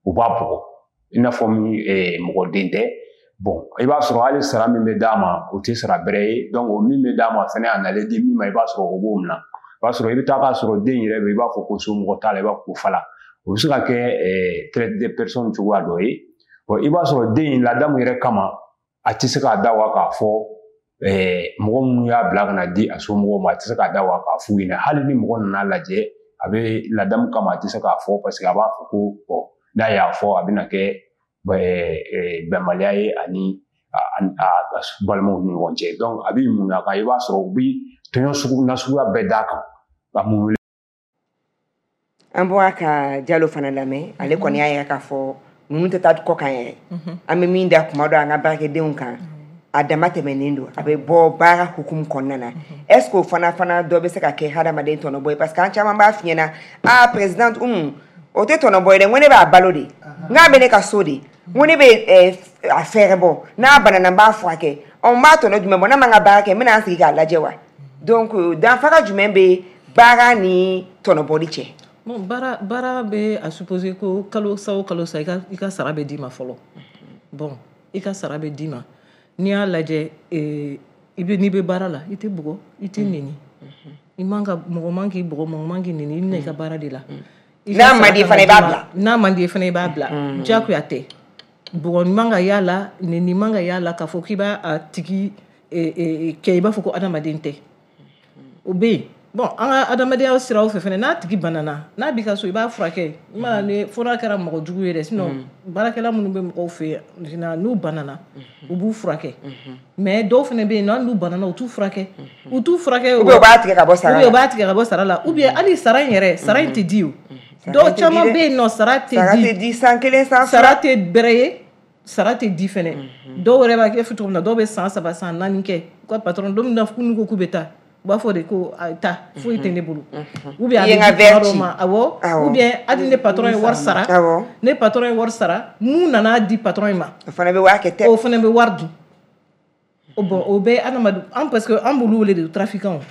u b'a bugɔ i n'a fɔ min mɔgɔ den tɛ. Bon, i b'a sɔrɔ hali sara min bɛ d'a ma, o tɛ sara bɛrɛ ye. Donc o min bɛ d'a ma fɛnɛ, a nalen di min ma, i b'a sɔrɔ o b'o minɛ. I b'a sɔrɔ i bɛ taa k'a sɔrɔ den yɛrɛ bɛ, i b'a fɔ ko somɔgɔ t'a la, i b'a fɔ ko fala. O bɛ se ka kɛ traite de personnes cogoya dɔ ye. Bon, i b'a sɔrɔ den in ladamu yɛrɛ kama, a tɛ se k'a da wa k'a fɔ mɔgɔ minnu y'a bila ka na di a somɔgɔw ma, a tɛ se k'a da wa k'a f'u ɲɛna. Hali ni mɔgɔ nana lajɛ, a bɛ ladamu kama, a tɛ se k'a fɔ, parce que a b'a fɔ ko bon, n'a y'a fɔ, a bɛna kɛ bɛnbaliya ye ani a balimaw ni ɲɔgɔn cɛ. Donc a bɛ mun a kan, i b'a sɔrɔ u bɛ tɔɲɔ sugu nasuguya bɛɛ d'a kan ka mun. An bɔra ka Jalo fana lamɛn, ale kɔni y'a yira k'a fɔ ninnu tɛ taa kɔ kan yɛrɛ. An bɛ min da kuma dɔ an ka baarakɛdenw kan, a dama tɛmɛnen don, a bɛ bɔ baara hukumu kɔnɔna na. Est ce que o fana fana dɔ bɛ se ka kɛ hadamaden tɔnɔbɔ ye? Parce que an caman b'a f'i ɲɛna, ah présidente Umu, o tɛ tɔnɔbɔ ye dɛ, n ko ne b'a balo de, n k'a bɛ ne ka so de, n ko ne bɛ a fɛɛrɛ bɔ, n'a banana n b'a furakɛ, ɔ n b'a tɔnɔ jumɛn bɔ, n'a ma n ka baara kɛ, n bɛna n sigi k'a lajɛ wa? Donc danfara jumɛn bɛ baara ni tɔnɔbɔli cɛ? Bon, baara baara bɛ a supposer ko kalo sa o kalo sa, i ka i ka sara bɛ d'i ma fɔlɔ. Bon, i ka sara bɛ d'i ma. N'i y'a lajɛ, I bɛ n'i bɛ baara la, i tɛ bugɔ, i tɛ neni. I man ka mɔgɔ man k'i bugɔ, mɔgɔ man k'i neni, i bɛna i ka baara de la. N'a man di fana i b'a bila. N'a man di fana i b'a bila. Diyagoya tɛ. Bugɔ man ka y'a la, neni man ka y'a la, k'a fɔ k'i b'a a tigi kɛ i b'a fɔ ko adamaden tɛ. O bɛ yen. Bon, an ka adamadenya siraw fɛ fɛnɛ, n'a tigi banana, n'a b'i ka so, i b'a furakɛ. I mana ni fo n'a kɛra mɔgɔ jugu ye dɛ, sinon baarakɛla minnu bɛ mɔgɔw fɛ yen, n'u banana, u b'u furakɛ. Mais dɔw fɛnɛ bɛ yen nɔ, hali n'u banana, u t'u furakɛ. U t'u furakɛ. Ou bien u b'a tigɛ ka bɔ sara la. Ou bien u b'a tigɛ ka bɔ sara la. Ou bien hali sara in yɛrɛ, sara in tɛ di o. Dɔw caman bɛ yen nɔ, sara tɛ di. Sara tɛ di san kelen, san fila. Sara tɛ bɛrɛ ye, sara tɛ di fɛnɛ. Dɔw yɛrɛ b'a kɛ cogo min na, dɔw bɛ san saba, san naani kɛ. U ka patron, don min na n'u ko k'u bɛ taa, u b'a fɔ de ko taa, foyi tɛ ne bolo. Ou bien a bɛ di tuma dɔw ma, awɔ. Ou bien hali ne patron ye wari sara, ne patron ye wari sara, mun nana di patron in ma, o fana bɛ wari kɛ tɛ. O fana bɛ wari dun. O bon, o bɛɛ adamaden, an parce que an b'olu wele de trafiquants.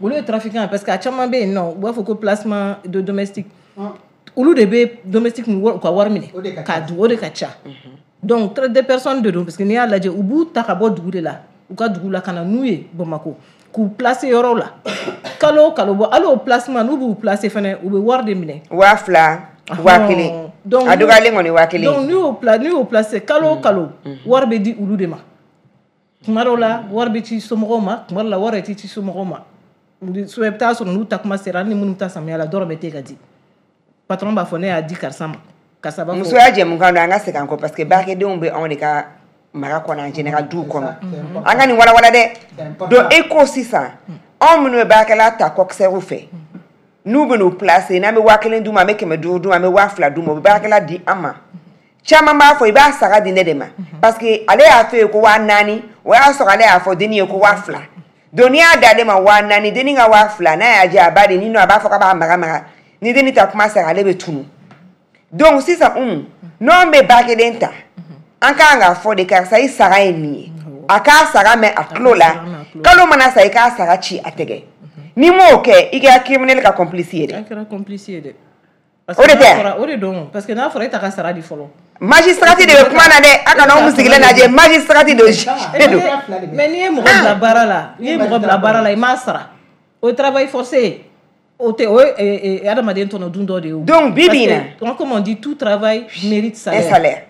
Olu ye trafiquants parce que a caman bɛ yen nɔ, u b'a fɔ ko placement de domestique. Olu de bɛ domestique u ka wari minɛ k'a dun, o de ka ca. Donc traite des personnes de don, parce que n'i y'a lajɛ, u b'u ta ka bɔ dugu de la, u ka dugu la ka na n'u ye Bamakɔ, k'u placer yɔrɔw la. Kalo o kalo, bon hali o placement n'u b'u placer fɛnɛ, u bɛ wari de minɛ. Waa fila, waa kelen. A dɔgɔyalen kɔni waa kelen. Donc n'u y'o pla n'u y'o placer kalo o kalo, wari bɛ di olu de ma. Tuma dɔw la wari bɛ ci somɔgɔw ma, tuma dɔw la wari yɛrɛ tɛ ci somɔgɔw ma. So i bɛ taa sɔrɔ n'u ta kuma sera, hali ni minnu bɛ taa samiya la, dɔrɔn bɛ te ka di. Patron b'a fɔ ne y'a di karisa ma. Karisa b'a fɔ. Musoya jɛmukan don, an ka segin an kɔ parce que baarakɛdenw bɛ anw de ka mara kɔnɔ, en général duw kɔnɔ. An ka nin walawala dɛ. Donc e ko sisan, anw minnu bɛ baarakɛla ta coxeur fɛ, n'u bɛ n'u placer, n'an bɛ waa kelen d'u ma, an bɛ kɛmɛ duuru d'u ma, an bɛ waa fila d'u ma, u bɛ baarakɛla di an ma. Caman b'a fɔ i b'a sara di ne de ma, parce que ale y'a fɔ ye ko waa naani, o y'a sɔrɔ ale y'a fɔ denni ye ko waa fila. Donc n'i y'a d'ale ma waa naani, denni ka waa fila, n'a y'a diya a b'a di, ni nɔ a b'a fɔ k'a b'a mara mara, ni denni ta kuma sera ale bɛ tunu. Donc sisan un, n'anw bɛ baarakɛden ta, an kan k'a fɔ de karisa i sara ye nin ye, a k'a sara mɛn a tulo la, kalo mana sa i k'a sara ci a tɛgɛ. N'i m'o kɛ, i kɛra criminel ka complice ye dɛ. I kɛra complice ye dɛ. O de tɛ. O de don, parce que n'a fɔra e ta ka sara di fɔlɔ. Magistrat de bɛ kuma na dɛ, a kana anw sigilen lajɛ, magistrat de don. Mais n'i ye mɔgɔ bila baara la, n'i ye mɔgɔ bila baara la, i m'a sara. O ye travail forcé. O tɛ, o ye adamaden tɔnɔ dun dɔ de ye. Donc bi bi in na. Comme on dit, tout travail mérite salaire. Un salaire.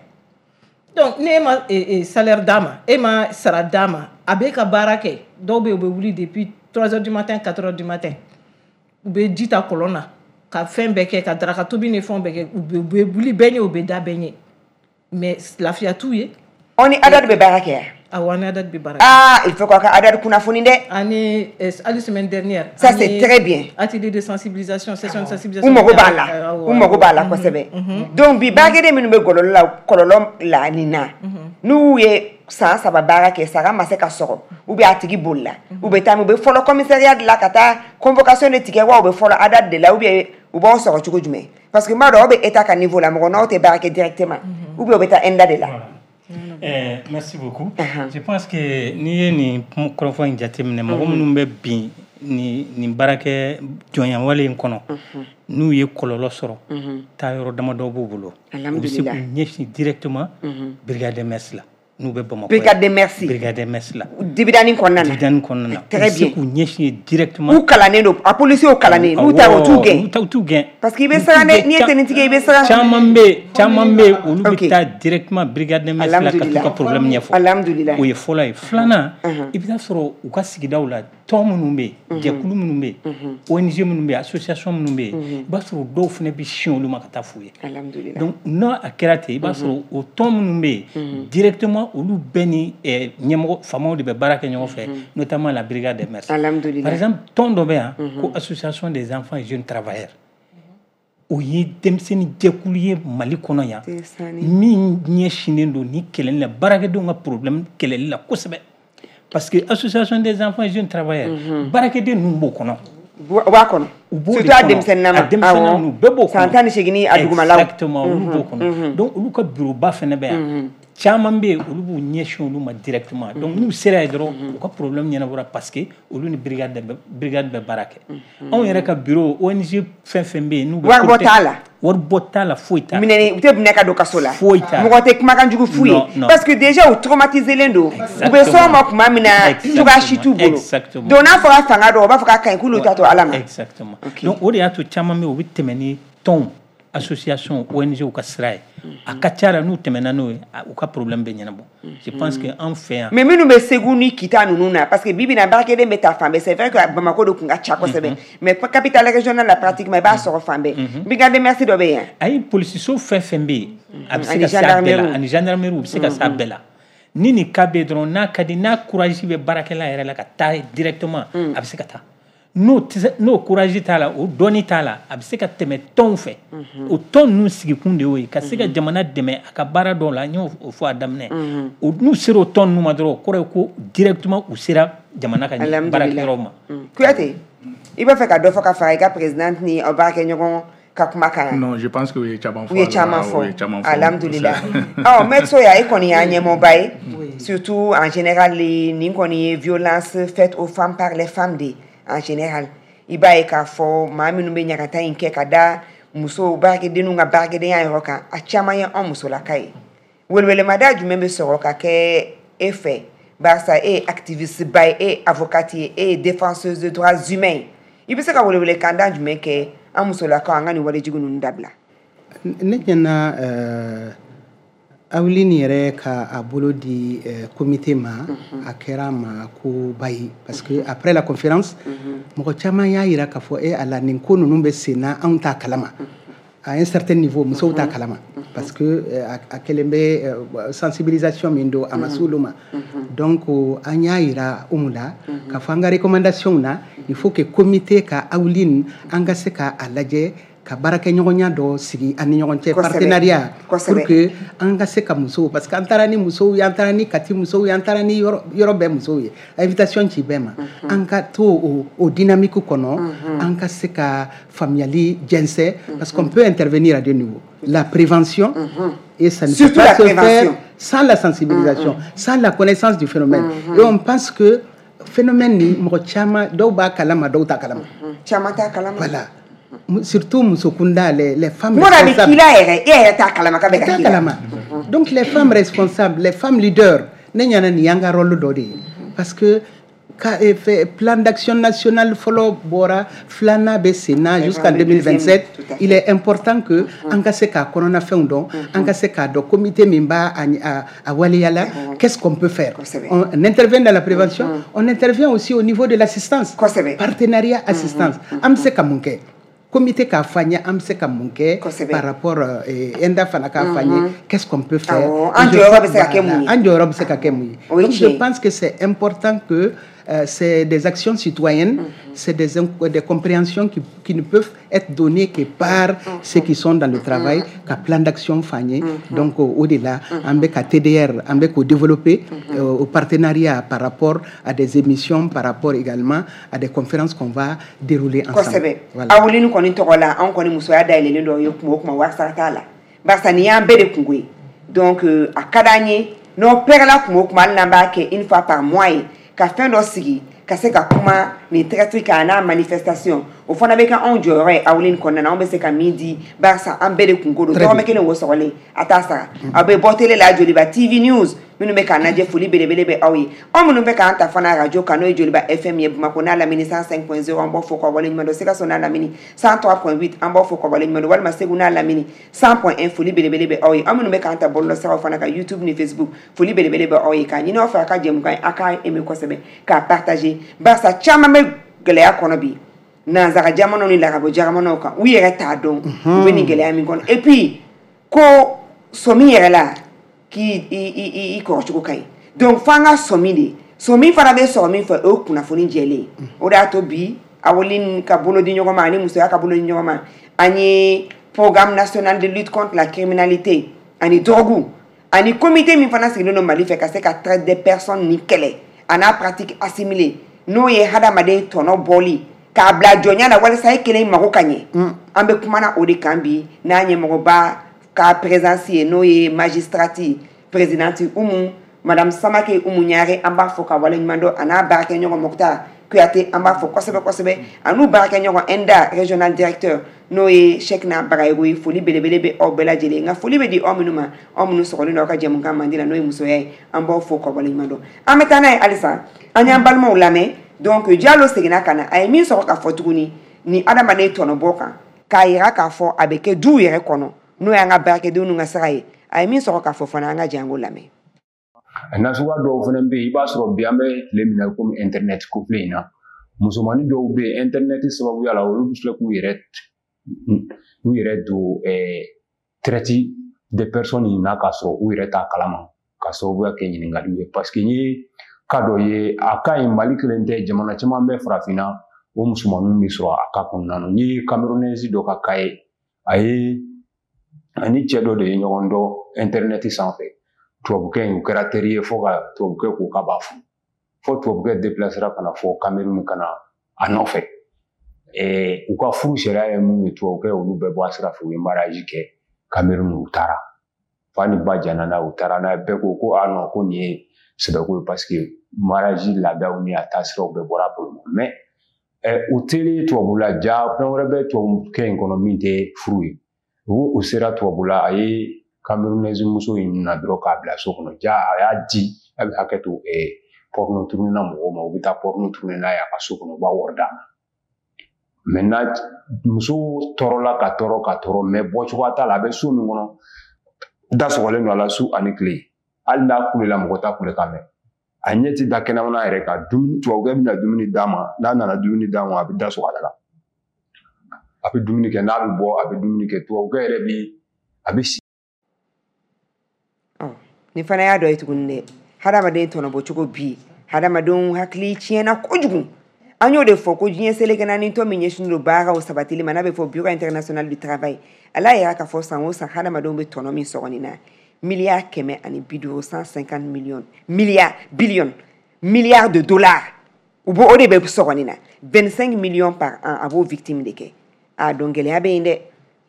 Donc ne ma salaire d'a ma, e ma sara d'a ma, a b'e ka baara kɛ. Dɔw bɛ yen, u bɛ wuli depuis trois heures du matin, quatre heures du matin. U bɛ ji ta kɔlɔn na, ka fɛn bɛɛ kɛ, ka daraka tobi ni fɛnw bɛɛ kɛ, u bɛ wuli bɛɛ ɲɛ, u bɛ da bɛɛ ɲɛ. Mais lafiya t'u ye. Aw ni ADAD bɛ baara kɛ yan? Awɔ, an ni ADAD bɛ baara kɛ. Ah, il faut k'aw ka ADAD kunnafoni dɛ. Ani hali semaine dernière. Ça c'est très bien. Atelier de sensibilisation, session de sensibilisation. U mago b'a la, u mago b'a la kosɛbɛ. Donc bi baarakɛden minnu bɛ gɔlɔlɔ la, kɔlɔlɔ la nin na, n'u ye san saba baara kɛ, sara ma se ka sɔrɔ, ou bien a tigi bolila, u bɛ taa, u bɛ fɔlɔ commissariat de la ka taa convocation de tigɛ wa, u bɛ fɔlɔ ADAD de la, ou bien u b'aw sɔrɔ cogo jumɛn? Parce que n b'a dɔn aw bɛ état ka niveau la, mɔgɔ n'aw tɛ baara kɛ directement, ou bien u bɛ taa ENDA de la. Eh, merci beaucoup. Uh-huh. Je pense que n'i ye nin kɔrɔfɔ in jateminɛ, mɔgɔ minnu bɛ bin nin nin baarakɛ jɔnya wale in kɔnɔ, n'u ye kɔlɔlɔ sɔrɔ, taa yɔrɔ damadɔ b'u bolo. U bɛ se k'u ɲɛsin directement brigade des mœurs la, n'u bɛ Bamakɔ. Brigade des mœurs. Brigade des mœurs la. Dibidani kɔnɔna na. Dibidani kɔnɔna na. Très bien. U bɛ se k'u ɲɛsin directement. U kalannen don, a policiers kalannen, n'u taara u t'u gɛn. U t'u gɛn. Parce que i bɛ siran dɛ, n'i ye tenue i bɛ siran. Caman bɛ yen, caman bɛ yen, olu bɛ taa directement brigade des mœurs la ka t'u ka problème ɲɛfɔ. Alhamdulillah. O ye fɔlɔ ye. Filanan, i bɛ taa sɔrɔ u ka sigidaw la, tɔn minnu bɛ yen, jɛkulu minnu bɛ yen, O N G minnu bɛ yen, association minnu bɛ yen, i b'a sɔrɔ dɔw fana bɛ sin olu ma ka taa f'u ye. Alhamdulillah. Donc n'a a kɛra ten, i b'a sɔrɔ o tɔn minnu bɛ yen, directement olu bɛɛ ni ɲɛmɔgɔ faamaw de bɛ baara kɛ ɲɔgɔn fɛ, notamment la brigade des mœurs. Alhamdulillah. Par exemple, tɔn dɔ bɛ yan ko association des enfants et jeunes travailleurs. O ye denmisɛnnin jɛkulu ye Mali kɔnɔ yan, min ɲɛsinnen don ni kɛlɛli la, baarakɛdenw ka problème kɛlɛli la kosɛbɛ. Parce que association des enfants et jeunes travailleurs, baarakɛden ninnu b'o kɔnɔ. U b'a kɔnɔ. Surtout a denmisɛnninama. A denmisɛnnin ninnu bɛɛ b'o kɔnɔ. San tan ni seegin a dugumalaw. Exactement, olu b'o kɔnɔ. Donc olu ka bureau ba fana bɛ yan. Caman bɛ yen, olu b'u ɲɛsin olu ma directement. Donc n'u sera yen dɔrɔn, u ka problème ɲɛnabɔra, parce que olu ni brigade bɛ brigade bɛ baara kɛ. Anw yɛrɛ ka bureau, O N G fɛn fɛn bɛ yen, n'u bɛ Waribɔ t'a la. Waribɔ t'a la, foyi t'a la. Minɛni u tɛ minɛ ka don kaso la. Foyi t'a la. Mɔgɔ tɛ kumakan jugu f'u ye. Non, non. Parce que déjà u traumatisé don, u bɛ s'o ma tuma min na, cogoya si t'u bolo. Exactement. Donc n'a fɔra fanga dɔn, u b'a fɔ k'a ka ɲi, k'olu t'a to Ala ma. Exactement. Donc o de y'a to caman bɛ yen, u bɛ tɛmɛ ni tɔnw, association, O N G ka sira ye. A ka ca la, n'u tɛmɛna n'o ye, u ka problème bɛ ɲɛnabɔ. Je pense que an fɛ yan. Mais minnu bɛ Segu ni Kita ninnu na, parce que bi bi in na, baarakɛden bɛ taa fan bɛɛ. C'est vrai que Bamako de kun ka ca kosɛbɛ, mais capitale régionale la, pratiquement i b'a sɔrɔ fan bɛɛ. Brigade des mœurs dɔ bɛ yen. Ayi, polisiso fɛn fɛn bɛ yen, a bɛ se Ani ka se a bɛɛ la. Gendarmerie. Ani gendarmerie, u bɛ se ka se a bɛɛ la. Ni nin cas bɛ yen dɔrɔn, n'a ka di, n'a courage bɛ baarakɛla yɛrɛ la ka taa directement, a bɛ se ka taa. N'o tɛ se, n'o courage t'a la, o dɔnni t'a la, a bɛ se ka tɛmɛ tɔnw fɛ. O tɔn ninnu sigikun de y'o ye, ka se ka jamana dɛmɛ a ka baara dɔw la. N y'o o fɔ a daminɛ. O n'u sera o tɔn ninnu ma dɔrɔn, o kɔrɔ ye ko directement u sera jamana ka Alhamdulillah. baarakɛyɔrɔ ma. Kuyate, i b'a fɛ ka dɔ fɔ ka fara i ka présidente ni aw baarakɛɲɔgɔn ka kuma kan? Non, je pense que u ye caman fɔ U ye a la, caman u ye caman fɔ. fɔ. Alhamdulillah. Ɔ, maître Soya, e kɔni y'a ɲɛmɔgɔba ye, surtout en général nin kɔni ye violence faite aux femmes par les femmes de en général. I b'a ye k'a fɔ maa minnu bɛ ɲagata in kɛ ka da musow baarakɛdenninw ka baarakɛdenya yɔrɔ kan, a caman ye anw musolaka ye. Welewelemada jumɛn bɛ sɔrɔ ka kɛ e fɛ, barisa e ye activiste ba ye, e ye avocate ye, e ye défenseuse de droits humains ye? I bɛ se ka welewelekanda jumɛn kɛ an musolakaw an ka nin walejugu ninnu dabila? Ne ɲɛna, euh, Awilin yɛrɛ ka a bolo di euh, comité ma, a kɛra ma ko ba ye, parce que après la conférence, mɔgɔ caman y'a yira k'a fɔ e ala, nin ko ninnu bɛ sen na, anw t'a kalama. À un certain niveau, musow t'a kalama, parce que euh, a a kɛlen bɛ euh, sensibilisation min don, a ma s'olu ma. Donc an y'a yira Umu la k'a fɔ an ka recommandation na, il faut que comité ka Awilin, an ka se ka a lajɛ ka baarakɛɲɔgɔnya dɔ sigi an ni ɲɔgɔn cɛ, Kosɛbɛ. partenariat, Kosɛbɛ. pour que an ka se ka musow, parce que an taara ni musow ye, an taara ni Kati musow ye, an taara ni yɔrɔ yɔrɔ bɛɛ musow ye, invitation ci bɛɛ ma. An ka to o, o dynamique kɔnɔ, an ka se ka faamuyali jɛnsɛn, parce qu'on peut intervenir à deux niveaux: la prévention, et ça ne Surtout peut pas la se faire prévention. Sans la sensibilisation, sans la connaissance du phénomène. Et on pense que phénomène ni mɔgɔ caman dɔw b'a kalama, dɔw t'a kalama. Caman t'a kalama. Voilà. Surtout muso kunda, les, les femmes Kuma dɔ a bɛ responsables. k'i la yɛrɛ, e yɛrɛ t'a kalama k'a bɛ ka T'a k'i la. Kalama. Donc les femmes responsables, les femmes leaders, ne ɲana nin y'an ka rôle dɔ de ye, parce que ka, eh, fait, plan d'action national fɔlɔ bɔra, filanan bɛ sen na jusqu'en Le deuxième, deux mille vingt-sept. Tout à fait. Il est important que an ka se k'a kɔnɔnafɛnw dɔn, an ka se k'a dɔn comité min b'a a, a, a waleya la, qu'est-ce qu'on peut faire. Kosɛbɛ. on, on intervient dans la prévention, on intervient aussi au niveau de l'assistance. Kosɛbɛ. Partenariat, assistance, an bɛ se ka mun kɛ, comité k'a fɔ an ye an bɛ se ka mun kɛ Kosɛbɛ. Par rapport euh, ENDA fana k'a fɔ an ye qu'est-ce qu'on peut faire. Awɔ, an Et je jɔyɔrɔ pense- bɛ se ka kɛ mun ye. An jɔyɔrɔ bɛ se ka kɛ mun ye. O ye Donc je tiɲɛ ye. Pense que c'est important que euh, c'est des actions citoyennes, c'est des, inc- des compréhensions qui, qui ne peuvent être données que par ceux qui sont dans le travail, ka plan d'action f'an ye. Donc au- au-delà, an bɛ ka T D R, an bɛ k'o développer euh, au partenariat par rapport à des émissions, par rapport également à des conférences qu'on va dérouler ensemble. Kosɛbɛ. Voilà. Awolini kɔni tɔgɔ la, anw kɔni musoya dayɛlɛlen dɔ ye kuma o kuma, wari sara t'a la, barisa nin y'an bɛɛ de kungo ye. Donc euh, a ka d'an ye n'aw pɛrɛla kuma o kuma, hali n'an b'a kɛ une fois par mois ye, ka fɛn dɔ sigi ka se ka kuma nin traite kan n'a manifestation, o fana bɛ kɛ anw jɔyɔrɔ ye Awolini kɔnɔna na. Anw bɛ se ka min di, barisa an bɛɛ de kungo don. Très bien. Dɔrɔmɛ kelen wo sɔgɔlen a t'a sara. Aw bɛ bɔ télé la, Joliba T V News minnu bɛ k'an lajɛ, foli belebele bɛ aw ye. Aw minnu bɛ k'an ta fana radio kan, n'o ye Joliba F M ye, Bamakɔ n'a lamini cent cinq point zéro, an b'aw fo k'aw waleɲuman dɔn. Sikaso n'a lamini cent trois point huit, an b'aw fo k'aw waleɲuman dɔn, walima Segu n'a lamini cent point un, foli belebele bɛ aw ye. Aw minnu bɛ k'an ta bɔlɔlɔsiraw fana kan, YouTube ni Facebook, foli belebele bɛ aw ye. K'a ɲini aw fɛ, a ka jɛmukan ye, a k'a aimer kosɛbɛ, k'a partager, barisa caman bɛ gɛlɛya kɔnɔ bi nanzara jamanaw ni larabɔ jamanaw kan, u yɛrɛ t'a dɔn u bɛ nin gɛlɛya min kɔnɔ. Et puis ko sɔmi yɛrɛ la k'i i i i kɔrɔcogo ka ɲi, donc f'an ka sɔmi de, sɔmi fana bɛ sɔrɔ min fɛ, o ye kunnafoni jɛlen ye. O de y'a to bi Awolini ka bolo di ɲɔgɔn ma ani musoya ka bolo di ɲɔgɔn ma, an ye programme national de lutte contre la criminalité ani drogue ani comité min fana sigilen don Mali fɛ ka se ka traite des personnes ni kɛlɛ a n'a pratique assimilée, n'o ye hadamaden tɔnɔ bɔli k'a bila jɔnya la walasa e kelen mago ka ɲɛ. An bɛ kumana o de kan bi n'a ɲɛmɔgɔba ka présence ye, n'o ye magistrate Présidente Oumou Madame Samake Oumou Niare an b'a fɔ ka waleɲuman dɔn a n'a baarakɛɲɔgɔn Mokhtar Kouyaté an b'a fɔ kosɛbɛ kosɛbɛ a n'u baarakɛɲɔgɔn ENDA régional directeur n'o ye Cheikhna Bagayogo ye. Foli belebele bɛ aw bɛɛ lajɛlen, nka foli bɛ di aw minnu ma, aw minnu sɔgɔlen don aw ka jɛmukan mandi la n'o ye musoya ye, an b'aw fo ka waleɲuman dɔn. An bɛ taa n'a ye halisa, an y'an balimaw lamɛn. Donc Diallo seginna ka na, a ye min sɔrɔ ka fɔ tuguni ni adamaden tɔnɔbɔ kan k'a yira k'a fɔ a bɛ kɛ duw yɛrɛ kɔnɔ n'o y'an ka baarakɛdenw n'u ka sira ye, a ye min sɔrɔ k'a fɔ fana an ka jɛ an k'o lamɛn. Nasuguya dɔw fana bɛ yen, i b'a sɔrɔ bi an bɛ tile min na komi internet ko filɛ in na, musomanin dɔw bɛ yen internet sababuya la olu bɛ filɛ k'u yɛrɛ u yɛrɛ don traite de personnes in na k'a sɔrɔ u yɛrɛ t'a kalama, ka sababuya kɛ ɲininkaliw ye. Parce que n ye cas dɔ ye, a ka ɲi Mali kelen tɛ, jamana caman bɛ farafinna o musomaninw bɛ sɔrɔ a cas kɔnɔna na. N ye Camerounaise dɔ ka cas ye, a ye ani cɛ dɔ de ye ɲɔgɔn dɔn internet sanfɛ. Tubabukɛ in u kɛra teri ye fo ka tubabukɛ ko k'a b'a furu, fo tubabukɛ déplacera ka na fɔ Cameroun ka na a nɔfɛ. U ka furu sariya ye mun ye, tubabukɛ olu bɛɛ bɔ a sira fɛ, u ye mariage kɛ Cameroun, u taara fa ni ba jɛnna n'a ye, u taara n'a ye, bɛɛ ko ko ah non ko nin ye sɛbɛko ye parce que mariage laadaw ni a taasiraw bɛɛ bɔra a bolo ma. Mais u teri tubabula ja fɛn wɛrɛ bɛ tubabukɛ in kɔnɔ min tɛ furu ye. U sera tubabula, a ye Camerounaise muso in na dɔrɔn k'a bila so kɔnɔ, ja a y'a di a bɛ hakɛ to porno tourner na mɔgɔw ma, u bɛ taa porno tourner n'a ye a ka so kɔnɔ, u b'a wari d'a ma. Maintenant muso tɔɔrɔla ka tɔɔrɔ ka tɔɔrɔ, mais bɔcogoya t'a la, a bɛ so min kɔnɔ da sɔgɔlen don a la su ani tile, hali n'a kulela mɔgɔ t'a kule ka mɛn, a ɲɛ ti da kɛnɛmana yɛrɛ kan. Dumuni tubabukɛ bɛna dumuni d'a ma, n'a nana dumuni d'a ma a bɛ da sɔgɔ a la, a bɛ dumuni kɛ, n'a bɛ bɔ a bɛ dumuni kɛ, tubabukɛ yɛrɛ bi a bɛ si. Nin fana y'a dɔ ye tuguni dɛ, hadamaden tɔnɔbɔ cogo bi hadamadenw hakili tiɲɛna kojugu. An y'o de fɔ ko diɲɛ seleke naani tɔ min ɲɛsinnen don baaraw sabatili ma n'a bɛ fɔ Bureau international du travail, ala y'a k'a fɔ san o san hadamadenw bɛ tɔnɔ min sɔrɔ nin na miliyari kɛmɛ ani bi duuru cent cinquante millions milliards billion milliards de dollars u b'o o de bɛ sɔrɔ nin na vingt-cinq millions par an a b'o victime de kɛ. A donc gɛlɛya bɛ yen dɛ.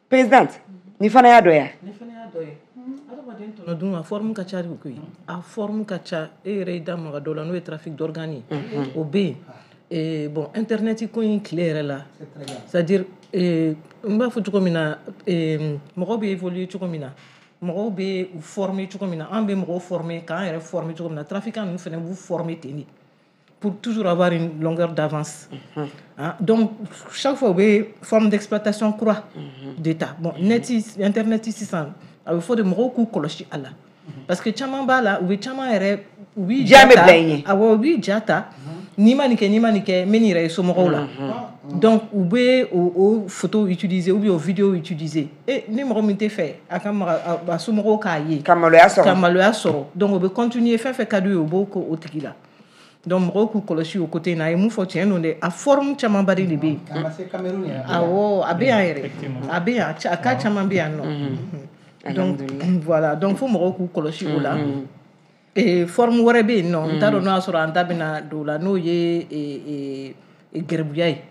Présidente, nin fana y'a dɔ ye. Nin fana y'a dɔ ye. Adamaden tɔnɔ dun a forme ka ca de koyi, a forme ka ca. E yɛrɛ y'i da maga dɔ la n'o ye trafic d'organes ye, o bɛ yen. Bon internet ko in tile yɛrɛ la, c'est à dire n b'a fɔ cogo min na, mɔgɔw bɛ évoluer cogo min na, mɔgɔw bɛ u former cogo min na, an bɛ mɔgɔw former k'an yɛrɛ former cogo min na, trafiquant ninnu fana b'u former ten de pour toujours avoir une longueur d'avance. Mm-hmm. Hein? Donc, chaque fois, il y a une forme d'exploitation croix mm-hmm. d'État. Bon, net, Internet, sisan, il faut de mɔgɔw k'u kɔlɔsi a la. Parce que caman b'a la, u bɛ caman yɛrɛ, u b'i ja ta, awɔ, u b'i ja ta, n'i ma nin kɛ, n'i ma nin kɛ, n bɛ nin yɛrɛ ye somɔgɔw la. Donc, u bɛ o, o photo utiliser ou bien o vidéo utiliser. Et ni mɔgɔ min tɛ fɛ, a ka maga a somɔgɔw k'a ye. Ka maloya sɔrɔ. Ka maloya sɔrɔ. Donc, o bɛ continuer fɛn fɛn ka d'u ye, u b'o k'o tigi la. Donc mɔgɔw k'u kɔlɔsi o côté in na. A ye mun fɔ tiɲɛ don dɛ, a forme camanba de bɛ yen. Awɔ, a bɛ yan yɛrɛ, a bɛ yan, a cas caman bɛ yan nɔ. Donc voilà, donc fo mɔgɔw k'u kɔlɔsi o la. Et forme wɛrɛ bɛ yen nɔ, n t'a dɔn n'o y'a sɔrɔ an da bɛna don o la, n'o ye gɛribuya ye.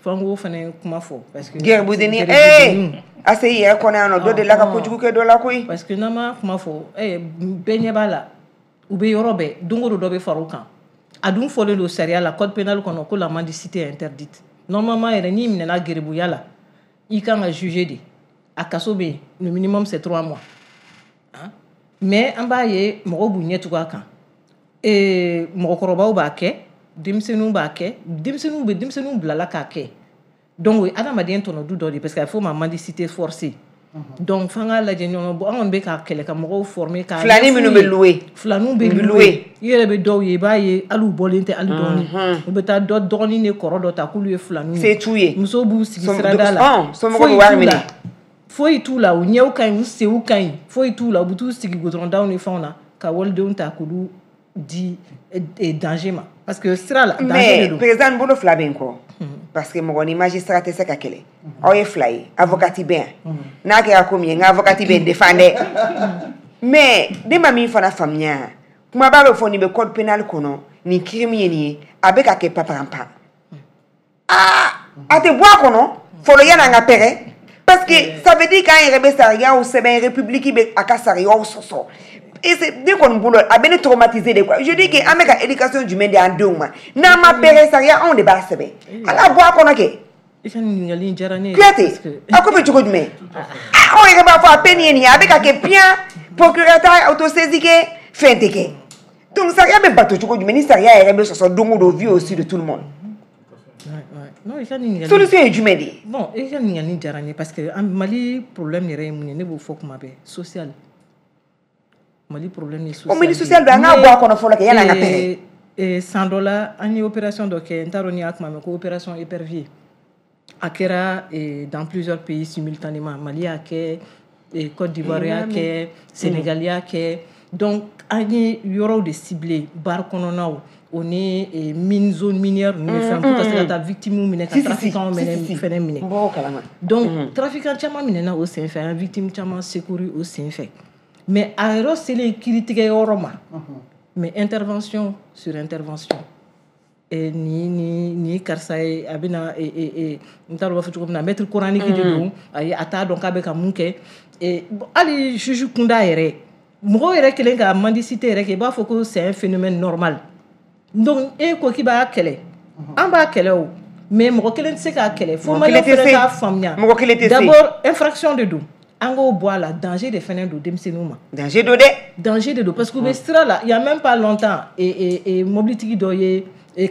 Fo an k'o fana kuma fɔ parce que gɛribudenni ee a se i yɛrɛ kɔnɔ yan nɔ, dɔ delila ka kojugu kɛ dɔ la koyi. Parce que n'an ma kuma fɔ, bɛɛ ɲɛ b'a la. U bɛ yɔrɔ bɛɛ, don o don dɔ bɛ fara o kan. A dun fɔlen don sariya la, code pénal kɔnɔ, ko la mendicité est interdite. Normalement yɛrɛ n'i minɛna geribuya la, i kan ka juger de. A kaso bɛ yen, le minimum c'est trois mois. Hein? Mais an b'a ye mɔgɔw b'u ɲɛ tugun a kan. Ee mɔgɔkɔrɔbaw b'a kɛ, denmisɛnninw b'a kɛ, denmisɛnninw bɛ denmisɛnninw bilala k'a kɛ. Donc o ye adamaden tɔnɔ du dɔ de ye parce que a bɛ f'o ma mendicité forcée. Donc f'an k'a lajɛ ɲɔgɔn bɔ, an kɔni bɛ k'a kɛlɛ ka mɔgɔw former k'a filani minnu bɛ louer, filaniw bɛ louer, i yɛrɛ bɛ dɔw ye i b'a ye hali u bɔlen tɛ hali dɔɔni, u bɛ taa dɔ dɔgɔnin ni kɔrɔ dɔ ta k'olu ye filaniw ye, se t'u ye, musow b'u sigi sirada la, somɔgɔw bɛ wari minɛ, foyi t'u la, u ɲɛw ka ɲi, u senw ka ɲi, foyi t'u la, u bɛ t'u sigi goudron ni fɛnw na ka walidenw ta k'olu di danger ma parce que sira la danger de don. Mais président bolo fila bɛ n kɔ. Parce que mɔgɔ ni magistrat tɛ se ka kɛlɛ, aw ye fila ye, avocat bɛ yan, n'a kɛra ko min ye n ka avocat bɛ n défend dɛ. Mais ne ma min fana faamuya, kumaba bɛ fɔ nin bɛ code pénal kɔnɔ, nin crime ye nin ye, a bɛ ka kɛ paparanpa. Aa a tɛ bɔ a kɔnɔ fɔlɔ yan'an ka pɛrɛn, parce que ça veut dire k'an yɛrɛ bɛ sariyaw sɛbɛn, république bɛ a ka sariyaw sɔsɔ. Et c'est ne kɔni bolo a bɛ ne traumatiser de quoi. Je dis que an bɛ ka éducation jumɛn di an denw ma n'an ma pɛrɛn sariya anw de b'a sɛbɛn ala bɔ a kɔnɔ kɛ. I ka ɲininkali in diyara ne ye. Kuyate a ko bɛ cogo jumɛn? Anw yɛrɛ b'a fɔ a peine ye nin ye a bɛ ka kɛ bien procureur t'a autosaisi kɛ fɛn tɛ kɛ. Donc sariya bɛ bato cogo jumɛn ni sariya yɛrɛ bɛ sɔsɔ don o don vu au su de tout le monde. Non, i ka ɲininkali solution ye jumɛn de ye? Bon, i ka ɲininkali diyara n ye parce que Mali problème yɛrɛ ye mun ye ne b'o fɔ kuma bɛɛ social. Mali problème ye social. O mais ni social don an k'a bɔ a kɔnɔ fɔlɔ kɛ yanni an ka pɛrɛn. San dɔ la an ye opération dɔ kɛ n t'a dɔn n'i y'a kuma mɛn ko opération épervier. A kɛra dans plusieurs pays simultanément. Mali y'a kɛ, Côte d'Ivoire y'a kɛ, Sénégal y'a kɛ. Donc an ye yɔrɔw de ciblé bar kɔnɔnaw o ni mine zone minière ninnu ni fɛn pour ka se ka taa victime minɛ ka trafiquant minɛ fɛnɛ minɛ. Donc trafiquant caman minɛna o sen fɛ an victime caman secouru o sen fɛ. Mais a yɔrɔ selen kiiritigɛ yɔrɔ ma mais intervention sur intervention. Ni ni ni karisa ye a bɛna n t'a dɔn u b'a fɔ cogo min na maître coranique de don ayi a t'a dɔn k'a bɛ ka mun kɛ hali juge kunda yɛrɛ mɔgɔw yɛrɛ kelen ka mendicité yɛrɛ kɛ i b'a fɔ ko c'est un phénomène normal. Donc e ko k'i b'a kɛlɛ an b'a kɛlɛ o mais mɔgɔ kelen tɛ se k'a kɛlɛ fo maliyɛn fɛnɛ k'a faamuya. Mɔgɔ kelen tɛ se. D'abord infraction de don. An k'o bɔ a la danger de fɛnɛ don denmisɛnninw ma. Danger don dɛ. Danger de don parce que u bɛ sira la il y a même pas longtemps et et mobilitigi dɔ ye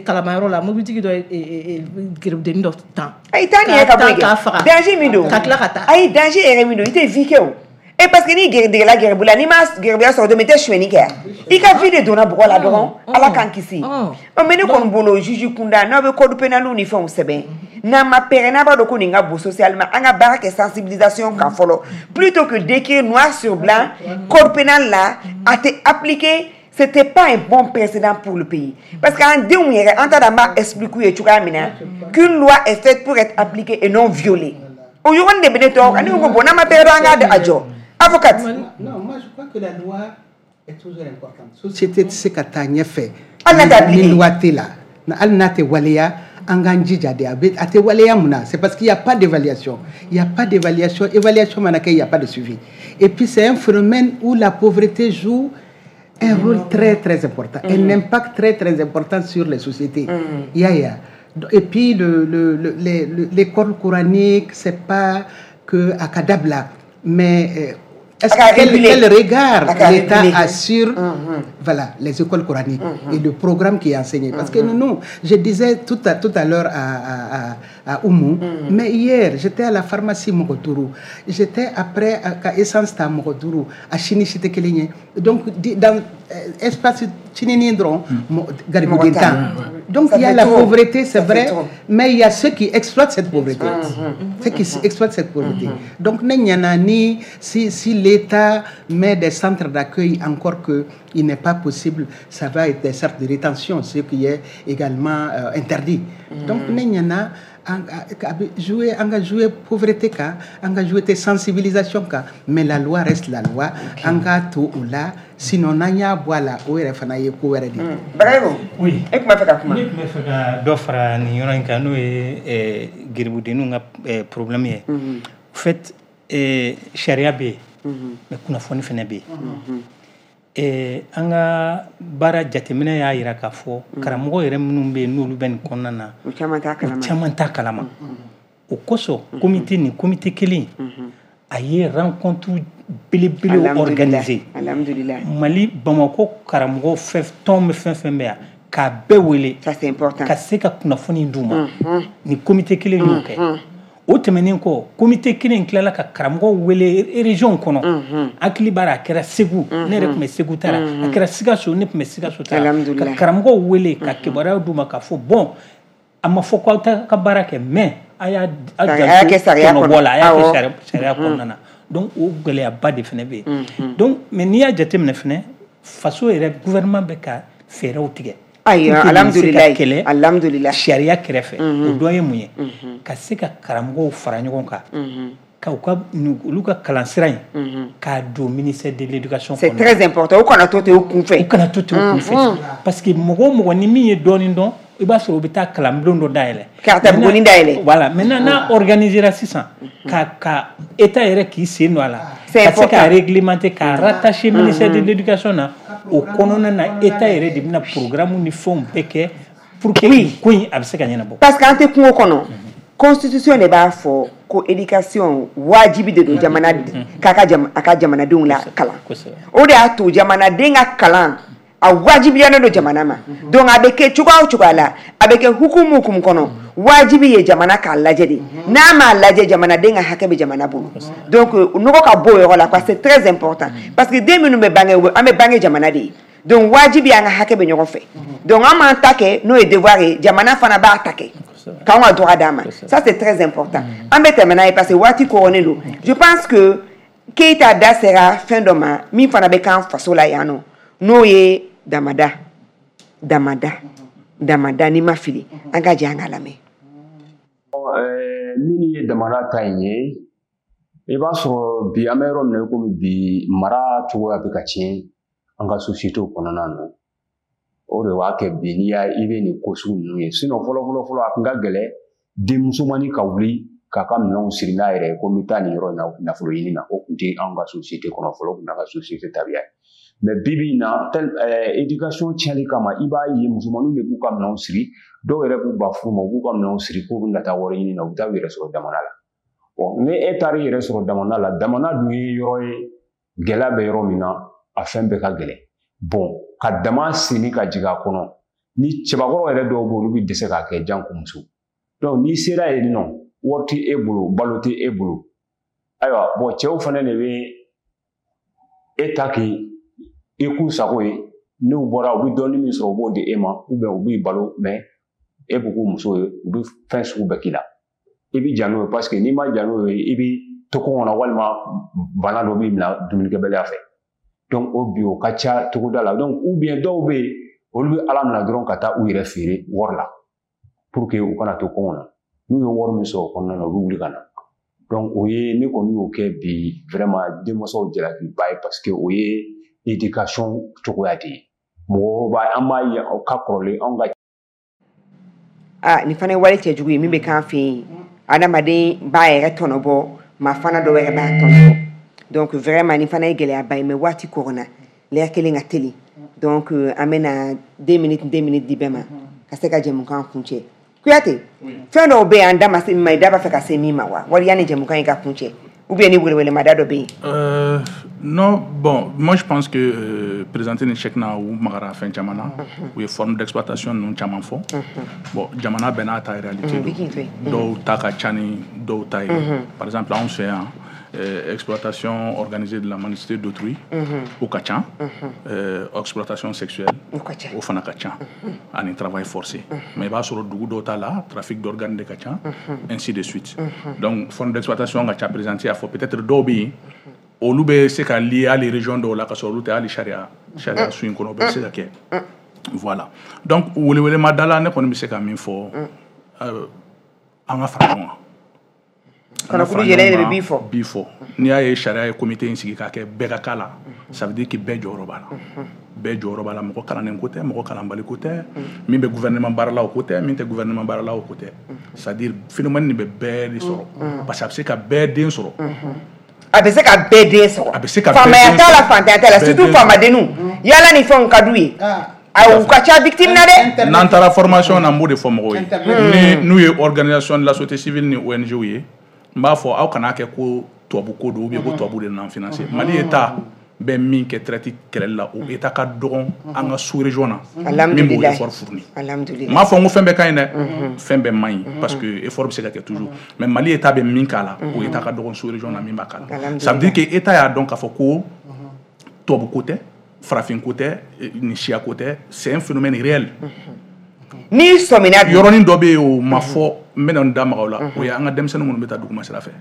kalamayɔrɔ la mobilitigi dɔ ye gerebudennin dɔ tan. Ayi taa nin yɛrɛ ka bɔ yen kɛ danger min don. Ka tila ka taa. Ayi danger yɛrɛ min don i tɛ vie kɛ o. E parce que n'i degela gɛrɛbu la n'i ma gɛrɛbuya sɔrɔ don min i tɛ sonyɛni kɛ yan i ka vie de donna bɔgɔ la dɔrɔn ala k'an kisi. Ɔ mais ne kɔni bolo juge kunda n'aw bɛ code pénal ni fɛnw sɛbɛn n'an ma pɛrɛn n'a b'a dɔn ko nin ka bon socialement an ka baara kɛ sensibilisation kan fɔlɔ plutôt que d'écrire noir sur blanc code pénal la a tɛ appliquer. C'était pas un bon précédent pour le pays. Parce qu'en denw yɛrɛ an t'a dɔn an b'a expliquer u ye cogoya min na qu'une loi est faite pour être appliquée et non violée. O yɔrɔnin de bɛ ne tɔɔrɔ ne ko bon n'an ma pɛrɛn an k'a jɔ. Avocate. Non, moi je crois que la loi est toujours importante. Société tɛ se ka taa ɲɛfɛ. Hali n'a tɛ appliquer. Ni loi tɛ la. Hali n'a tɛ waleya an k'an jija de a bɛ a tɛ waleya mun na c'est parce qu'il y a pas d'évaluation. Il y a pas d'évaluation. Évaluation mana kɛ il y a pas de suivi. Et puis c'est un phénomène où la pauvreté joue un rôle très très important, mmh. un impact très très important sur les sociétés. Mmh. Ya, ya. Et puis le, le, le, les, l'école coranique, c'est pas que à Kadabla, mais est-ce que quel, quel regard l'État a sur mmh. voilà, les écoles coraniques mmh. et le programme qui est enseigné. Parce que nous, nous, je disais tout à, tout à l'heure à, à, à, à Oumou, mmh. mais hier, j'étais à la pharmacie Mogodourou, j'étais après à Essence à Mogodourou, à Chini Chitekelinye. Donc, dans l'espace Chinini-Ndron, Garibouguintan. Donc, il y a la pauvreté, c'est vrai, mais il y a ceux qui exploitent cette pauvreté. Mmh. Ceux qui mmh. exploitent cette pauvreté. Mmh. Donc, ni si, si l'État met des centres d'accueil, encore que il n'est pas possible, ça va être des centres de rétention, ce qui est également euh, interdit. Mmh. Donc, n'y jouer, jouer pauvreté, jouer sensibilisation, mais la loi reste la loi. Tout ou là, sinon, on a boire la ou Bravo. Oui. Et comment faire comment? Ne fɛ ka dɔ fara nin yɔrɔ in kan n'o ye geribudenninw ka problème ye. En fait, sariya bɛ yen, mais kunnafoni fana bɛ yen. An ka baara jateminɛ y'a jira k'a fɔ karamɔgɔ yɛrɛ minnu bɛ yen n'olu bɛ nin kɔnɔna na u caman t'a kalama. U caman t'a kalama. O kosɔn comité nin comité kelen a ye rencontre belebele organiser. Alhamdulillah. Mali Bamakɔ karamɔgɔ fɛn tɔn bɛ fɛn fɛn bɛ yan k'a bɛɛ wele. Ça c'est important. Ka se ka kunnafoni d'u ma. Nin comité kelen y'o kɛ. O tɛmɛnen kɔ comité kelen tilala ka karamɔgɔw wele région kɔnɔ hakili b'a la a kɛra Segu ne yɛrɛ tun bɛ Segu ta la a kɛra Sikaso ne tun bɛ Sikaso ta la ka karamɔgɔw wele ka kibaruyaw d'u ma k'a fɔ bon a ma fɔ k'aw t'a ka baara kɛ mais a y'a janto tɔnɔbɔ la a y'a kɛ sariya kɔnɔna na donc o gɛlɛyaba de fana bɛ yen donc mais n'i y'a jateminɛ fana faso yɛrɛ gouvernement bɛ ka fɛɛrɛw tigɛ. Ayi, alhamdulillah, alhamdulillah. Sariya kɛrɛfɛ o dɔ ye mun ye ka se ka karamɔgɔw fara ɲɔgɔn kan ka u ka olu ka kalansira in k'a don ministère de l'éducation kɔnɔ. C'est très important. U kana to ten u kunfɛ. U kana to ten u kunfɛ parce que mɔgɔ o mɔgɔ ni min ye dɔɔnin dɔn I b'a sɔrɔ u bɛ taa kalanbulon dɔ dayɛlɛ. Ka taa buguni dayɛlɛ. Voilà, maintenant n'a organisera sisan ka ka État yɛrɛ k'i sen don a la, ka se ka réglementer, ka rattacher ministère de l'éducation na, o kɔnɔna na État yɛrɛ de bɛna programme ni fɛnw bɛɛ kɛ pour que ko in a bɛ se ka ɲɛnabɔ. Parce que an tɛ kungo kɔnɔ, constitution de b'a fɔ ko éducation wajibi de don jamana k'a ka a ka jamanadenw la kalan. O de y'a to jamanaden ka kalan a wajibiyalen don jamana ma. Donc a bɛ kɛ cogoya o cogoya la, a bɛ kɛ hukumu hukumu kɔnɔ, wajibi ye jamana k'a lajɛ de. N'a m'a lajɛ, jamanaden ka hakɛ bɛ jamana bolo. Donc nɔgɔ ka bɔ o yɔrɔ la quoi, c'est très important, parce que den minnu bɛ bange, an bɛ bange jamana de ye. Donc wajibi an ka hakɛ bɛ ɲɔgɔn fɛ. Donc an m'an ta kɛ n'o ye devoir ye, jamana fana b'a ta kɛ k'anw ka droit d'a ma. Ça c'est très important. An bɛ tɛmɛ n'a ye parce que waati kɔrɔnen don. Je pense que Keita da sera fɛn dɔ ma min fana bɛ k'an faso la yan nɔ, n'o ye damada damada damada. N'i ma fili, an ka jɛ an ka lamɛn. Min ye damada ta in ye, i b'a sɔrɔ bi an bɛ yɔrɔ min na komi bi, mara cogoya bɛ ka tiɲɛ an ka société kɔnɔna na. O de b'a kɛ bi n'i y'a i bɛ nin ko sugu ninnu ye. Sinon fɔlɔ fɔlɔ fɔlɔ, a tun ka gɛlɛn denmusomanin ka wuli k'a ka minɛnw siri n'a yɛrɛ ye ko n bɛ taa nin yɔrɔ in na nafolo ɲini na. O tun tɛ anw ka société kɔnɔ fɔlɔ, o tun y'an ka société tabiya ye. Mais bi bi in na, éducation tiɲɛli kama, i b'a ye musomaninw de b'u ka minɛnw siri, dɔw yɛrɛ b'u ba furu ma, u b'u ka minɛnw siri k'u bɛna taa wari ɲini na, u bɛ taa u yɛrɛ sɔrɔ damana la. Bon, ni e taara i yɛrɛ sɔrɔ damana la, damana dun ye yɔrɔ ye gɛlɛya bɛ yɔrɔ min na, a fɛn bɛɛ ka gɛlɛn. Bon, ka dama senni ka jigin a kɔnɔ, ni cɛbakɔrɔ yɛrɛ dɔw bɛ yen, olu bɛ dɛsɛ k'a kɛ janko muso. Donc n'i sera yen nɔ, wari tɛ e bolo, balo tɛ e bolo. Ayiwa, bon, cɛw fana de bɛ e ta k'i i k'u sago ye. N'u bɔra, u bɛ dɔɔnin min sɔrɔ, u b'o di e ma, ou bien u b'i balo, mais e b'u k'u muso ye, u bɛ fɛn sugu bɛɛ k'i la. I bɛ ja n'o ye, parce que n'i ma ja n'o ye, i bɛ to kɔngɔ na, walima bana dɔ b'i minɛ dumunikɛbaliya fɛ. Donc o bi o ka ca togoda la. Donc ou bien dɔw bɛ yen, olu bɛ Ala minɛ dɔrɔn ka taa u yɛrɛ feere wari la pour que u kana to kɔngɔ na. N'u ye wari min sɔrɔ o kɔnɔna na, u bɛ wuli ka na. Donc o ye ne kɔni y'o kɛ bi vraiment denmansaw jalakiba ye, parce que o ye éducation cogoya de ye. Mɔgɔw b'a an b'a ye o ka kɔrɔlen anw ka. Ah, nin fana ye wale cɛjugu ye min bɛ k'an fɛ yen. Adamaden b'a yɛrɛ tɔnɔ bɔ, maa fana dɔ wɛrɛ b'a tɔnɔ bɔ. Donc vraiment nin fana ye gɛlɛyaba ye, mais waati kɔrɔna lɛri kelen ka teli. Donc an bɛna deux minutes deux minutes di bɛɛ ma ka se ka jɛmukan kuncɛ. Kuyate, fɛn dɔw bɛ yen an da ma se min ma, i da b'a fɛ ka se min ma wa? Wali yanni jɛmukan in ka kuncɛ, ou bien ni welewelema da dɔ bɛ yen? Euh, non, bon, moi je pense que euh, présenter ni chèque na u magara fɛn caman na, u ye forme d'exploitation ninnu caman fɔ. Bon, jamana bɛɛ n'a ta réalité don, dɔw ta ka ca ni dɔw ta ye. Par exemple, anw fɛ yan, euh, exploitation organisée de la mendicité d'autrui o ka ca, euh, exploitation sexuelle o fana ka ca, ani travail forcé. Mais i b'a sɔrɔ dugu dɔw ta la, trafic d'organes de ka ca, ainsi de suite. Donc forme d'exploitation ka ca. Présenté y'a fɔ, peut-être dɔw bɛ yen, olu bɛ se ka lié hali région dɔw la ka sɔrɔ olu tɛ hali sariya sariya sun in kɔnɔ, o bɛɛ bɛ se ka kɛ. Voilà, donc welewelema da la, ne kɔni bɛ se ka min fɔ, an ka fara ɲɔgɔn kan. Kɔnɔkulu yɛlɛ de bɛ bi fɔ. Bi fɔ, n'i y'a ye sariya ye comité in sigi k'a kɛ bɛɛ ka k'a la, ça veut dire que bɛɛ jɔyɔrɔ b'a la. Bɛɛ jɔyɔrɔ b'a la, mɔgɔ kalannen ko tɛ, mɔgɔ kalanbali ko tɛ, min bɛ gouvernement baara la o ko tɛ, min tɛ gouvernement baara la o ko tɛ. C'est à dire phénomène nin bɛ bɛɛ de sɔrɔ, parce que a bɛ se ka bɛɛ den sɔrɔ. A bɛ se ka bɛɛ den sɔrɔ. A bɛ se ka bɛɛ den sɔrɔ. Faamaya t'a la, fantanya t'a la, surtout faamadenninw. Yala ni fɛnw ka d'u ye. Ayi, u ka ca victime na dɛ. N'an taara formation na, n b'o de fɔ mɔgɔw ye. Ni n'u ye organisation de la société civile ni O N G ye, n b'a fɔ aw kana kɛ ko tubabu ko don, ou bien ko tubabu de nana financer. Mali État bɛ min kɛ traite kɛlɛli la, o État ka dɔgɔn an ka sous région na min b'o effort fourni. N m'a fɔ n ko fɛn bɛɛ ka ɲi dɛ, fɛn bɛɛ man ɲi, parce que effort bɛ se ka kɛ toujours, mais Mali État bɛ min k'a la, o État ka dɔgɔn sous région na min b'a k'a la. Ça veut dire que État y'a dɔn k'a fɔ ko tubabu ko tɛ, farafin ko tɛ, ni siya ko tɛ, c'est un phénomène réel. N'i sɔmina dun, yɔrɔnin dɔ bɛ yen, o ma fɔ, n bɛna n da maga o la, o ye an ka denmisɛnnin minnu bɛ taa duguma sira fɛ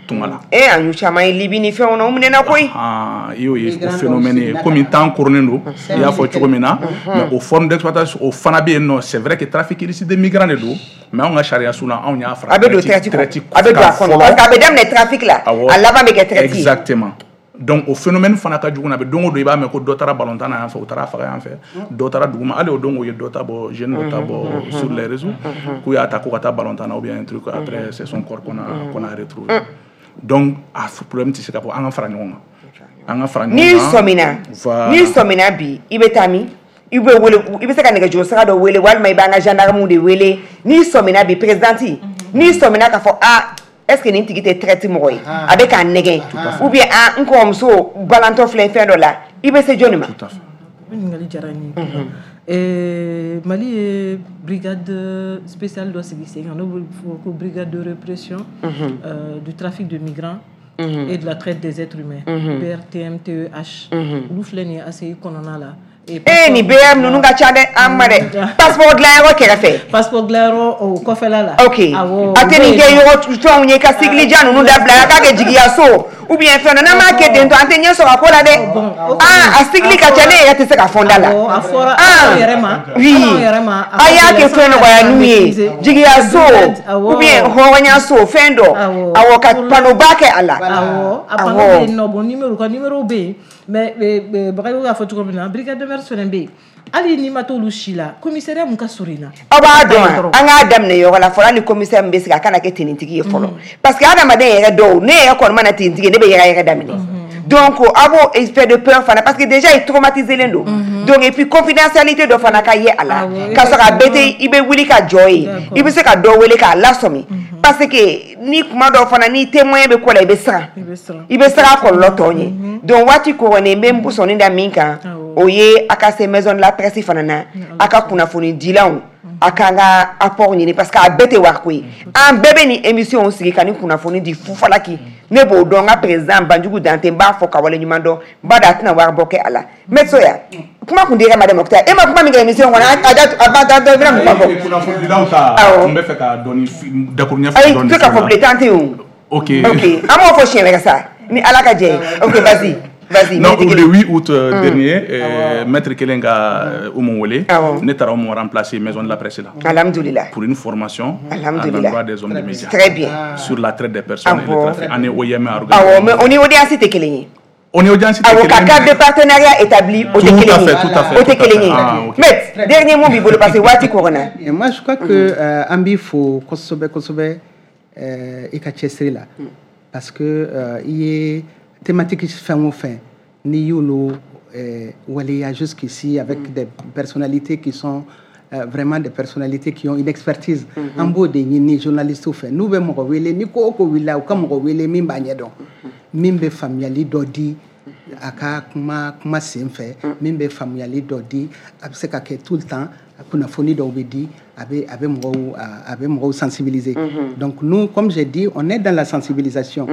tunga la. E, an y'u caman ye Libi ni fɛnw na, u minɛna koyi. I y'o ye, o phénomène ye komi temps koronnen don, i y'a fɔ cogo min na, mais o forme d'exploitation o fana bɛ yen nɔ. C'est vrai que trafic illicite de migrants de don, mais anw ka sariya sun na, anw y'a fara a bɛ don traite, a bɛ don a kɔnɔ, parce que a bɛ daminɛ trafic la, a laban bɛ kɛ traite. Exactement. Donc o phénomène fana ka jugu na, a bɛ don o don i b'a mɛn ko dɔ taara balontan na yan fɛ, u taara faga yan fɛ, dɔ taara dugu ma, hali o don o ye dɔ ta bɔ, jeune dɔ ta bɔ sur les réseaux k'u y'a ta ko ka taa balontan na ou bien un truc, après c'est son corps qu'on a qu'on a retrouvé. Donc a problème tɛ se ka bɔ, an ka fara ɲɔgɔn kan, an ka fara ɲɔgɔn kan. N'i sɔmina, n'i sɔmina bi, i bɛ taa min? I bɛ wele, i bɛ se ka nɛgɛjuru sira dɔ wele, walima i b'an ka gendarme de wele. N'i sɔmina bi, présidente, n'i sɔmina k'a fɔ a est-ce que nin tigi tɛ traite mɔgɔ ye, a bɛ k'a nɛgɛn, ou bien a n kɔrɔmuso balantɔ filɛ fɛn dɔ la, i bɛ se jɔnni ma? Tout à fait. O ɲininkali diyara n ye. Mali ye brigade spéciale dɔ sigi sen kan, n'o bɛ fɔ ko brigade de répression du trafic de migrants et de la traite des êtres humains, B R T M T E H. Olu filɛ nin ye A C I kɔnɔna la. Eh, ni B M ninnu ka ca dɛ, an ma dɛ. Passeport dilanyɔrɔ kɛrɛfɛ. Passeport dilanyɔrɔ o kɔfɛla la. Ok. A tɛ nin kɛ yɔrɔ fɛnw ye ka sigili jan ninnu dabila, a k'a kɛ jigiyaso ou bien fɛn dɔ, n'an m'a kɛ ten tɔ, an tɛ ɲɛ sɔrɔ a ko la dɛ. Ah, a sigili ka ca, ne yɛrɛ tɛ se ka fɔ n da la. A fɔra aw yɛrɛ ma. Oui. A y'a kɛ fɛn nɔgɔya n'u ye, jigiyaso ou bien hɔrɔnyaso fɛn dɔ. Awɔ, ka panneau ba kɛ a la. Awɔ, a panneau bɛ yen nɔ, bon numéro ka numéro bɛ yen. Mais Bagayogo y'a fɔ cogo min na, brigade de mœurs fɛnɛ bɛ yen. Hali n'i ma t'olu si la, commissariat mun ka surun i la. Aw b'a dɔn, an k'a daminɛ yɔrɔ la fɔlɔ, hali commissaire min bɛ sigi a kana kɛ tenitigi ye fɔlɔ, parce que adamaden yɛrɛ dɔw, ne yɛrɛ kɔni mana tenitigi ye, ne bɛ yɛrɛ yɛrɛ daminɛ. Donc a b'o effet de peur fana, parce que déjà i traumatisé len don. Donc et puis confidentialité dɔ fana ka ye a la, k'a sɔrɔ a bɛɛ tɛ i bɛ wuli ka jɔ yen, i bɛ se ka dɔ wele k'a lasɔmi, parce que ni kuma dɔw fana ni témoin bɛ ko la, i bɛ siran, i bɛ siran a kɔlɔlɔ tɔ ɲɛ. Donc waati kɔrɔlen n bɛ n sɔnni da min kan, o ye a ka se maison de la presse fana na, a ka kunnafoni dilanw, a k'an ka apport ɲini, parce que a bɛɛ tɛ wariko ye. An bɛɛ bɛ nin émission sigi ka nin kunnafoni di fufalaki. Ne b'o dɔn, n ka président Banjugu Dante, n b'a fɔ ka waleɲuman dɔn, n b'a dɔn a tɛna wari bɔ kɛ a la. Maître Soya, kuma kun dir'e ma dɛ Moctar, e ma kuma min kɛ émission kɔnɔ, a a ba da dɔ bɛna mun fɔ? Kunnafonidilaw ta, n bɛ fɛ ka dɔɔni dakuruɲɛ fɔ dɔɔni. Ayi, tɛ ka fɔ bilen, temps tɛ yen o. Ok. Ok, an b'o fɔ siɲɛ wɛrɛ sa, ni Ala ka jɛ ye. Ok, vas-y. Vas-y. Non, le huit août mm. dernier, euh, mm. Maître Kelen ka Oumou wele, ne taara Oumou remplacer maison de la presse là. Alhamdoulilah. Pour une formation à l'endroit des hommes des médias. Très bien. Sur la traite des personnes et le trafic. On est O I M organisé. Ah mais on est audience tɛ kelen ye. On est audience tɛ kelen ye. Awɔ, ka cadre de partenariat établi o tɛ kelen ye. Tout à fait, tout à fait. O tɛ kelen ye. Maître, dernier mot b'i bolo parce que waati kɔrɔna. Moi je crois que an b'i fo kosɛbɛ kosɛbɛ i ka cɛsiri la, parce que i ye thématique fɛn o fɛn n'i y'olu waleya jusqu'ici avec mm. des personnalités qui sont euh, vraiment des personnalités qui ont une expertise. An b'o de ɲini journalistes fɛ, n'u bɛ mɔgɔ wele, ni ko o ko wulila, u ka mɔgɔ wele min b'a ɲɛdɔn, min bɛ faamuyali dɔ di a ka kuma kuma sen fɛ, min bɛ faamuyali dɔ di, a bɛ se ka kɛ tout le temps kunnafoni dɔw bɛ di, a bɛ a bɛ mɔgɔw a bɛ mɔgɔw sensibiliser. Donc nous, comme j'ai dit, on est dans la sensibilisation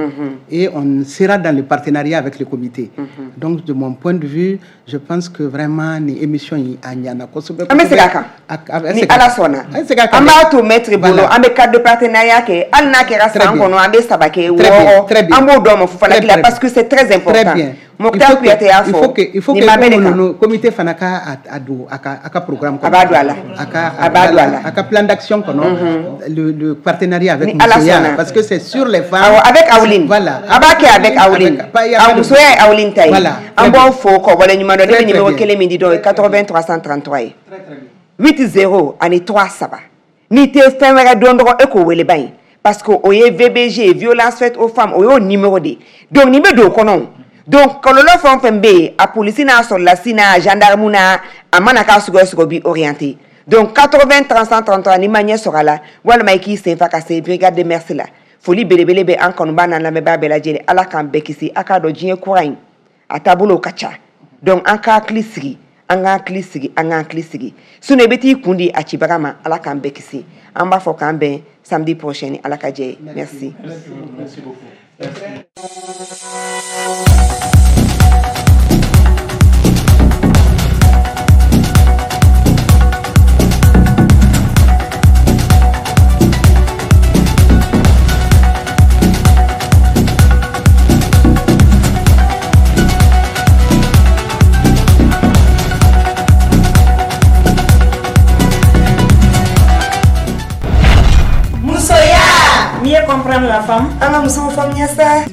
et on sera dans le partenariat avec le comité. Donc de mon point de vue, je pense que vraiment ni émission in a ɲana kosɛbɛ. An bɛ segin a kan ni Ala sɔnna. An b'a to maître bolo, an bɛ cadre de partenariat kɛ, hali n'a kɛra san kɔnɔ an bɛ saba kɛ wɔɔrɔ, an b'o dɔn ma fufalaki la, parce que c'est très important. Moctar Kouyaté y'a fɔ, il faut que comité fana ka a don a ka a ka programme kɔnɔ. A b'a don a la. A b'a don a la. A ka plan d'action kɔnɔ, le le partenariat avec Musoya, parce que c'est sur les femmes. Awɔ, avec Awlin. Voilà. A b'a kɛ avec Awlin. Awɔ, Musoya ye Awlin ta ye. An b'aw fo k'aw waleɲuman dɔn. Ne bɛ numéro kelen min di dɔw ye quatre-vingts trois cent trente-trois ye. huit zéro ani trois saba. N'i tɛ fɛn wɛrɛ dɔn dɔrɔn e k'o wele ban ye, parce que o ye V B G, violence faite aux femmes, o y'o numéro de ye. Donc nin bɛ don o kɔnɔ. Donc kɔlɔlɔ fɛn o fɛn bɛ yen, a polisi n'a sɔrɔlasi n'a gendarme n'a a mana k'a sugu o sugu b'i orienté. Donc quatre-vingts trois cent trente-trois, n'i ma ɲɛ sɔrɔ a la, walima i k'i sen fa ka se brigade de mœurs la. Foli belebele bɛ an kanubaa n'an lamɛnbaa bɛɛ lajɛlen, Ala k'an bɛɛ kisi. A k'a dɔn diɲɛ kura in a taabolo ka ca, donc an ka hakili sigi, an ka hakili sigi, an ka hakili sigi, sinon i bɛ t'i kun di a cibaga ma. Ala k'an bɛɛ kisi. An b'a fɔ k'an bɛn samedi prochain ni Ala ka jɛ ye. Merci. Merci beaucoup. Mieux comprendre la femme. An ka musow faamuya sa.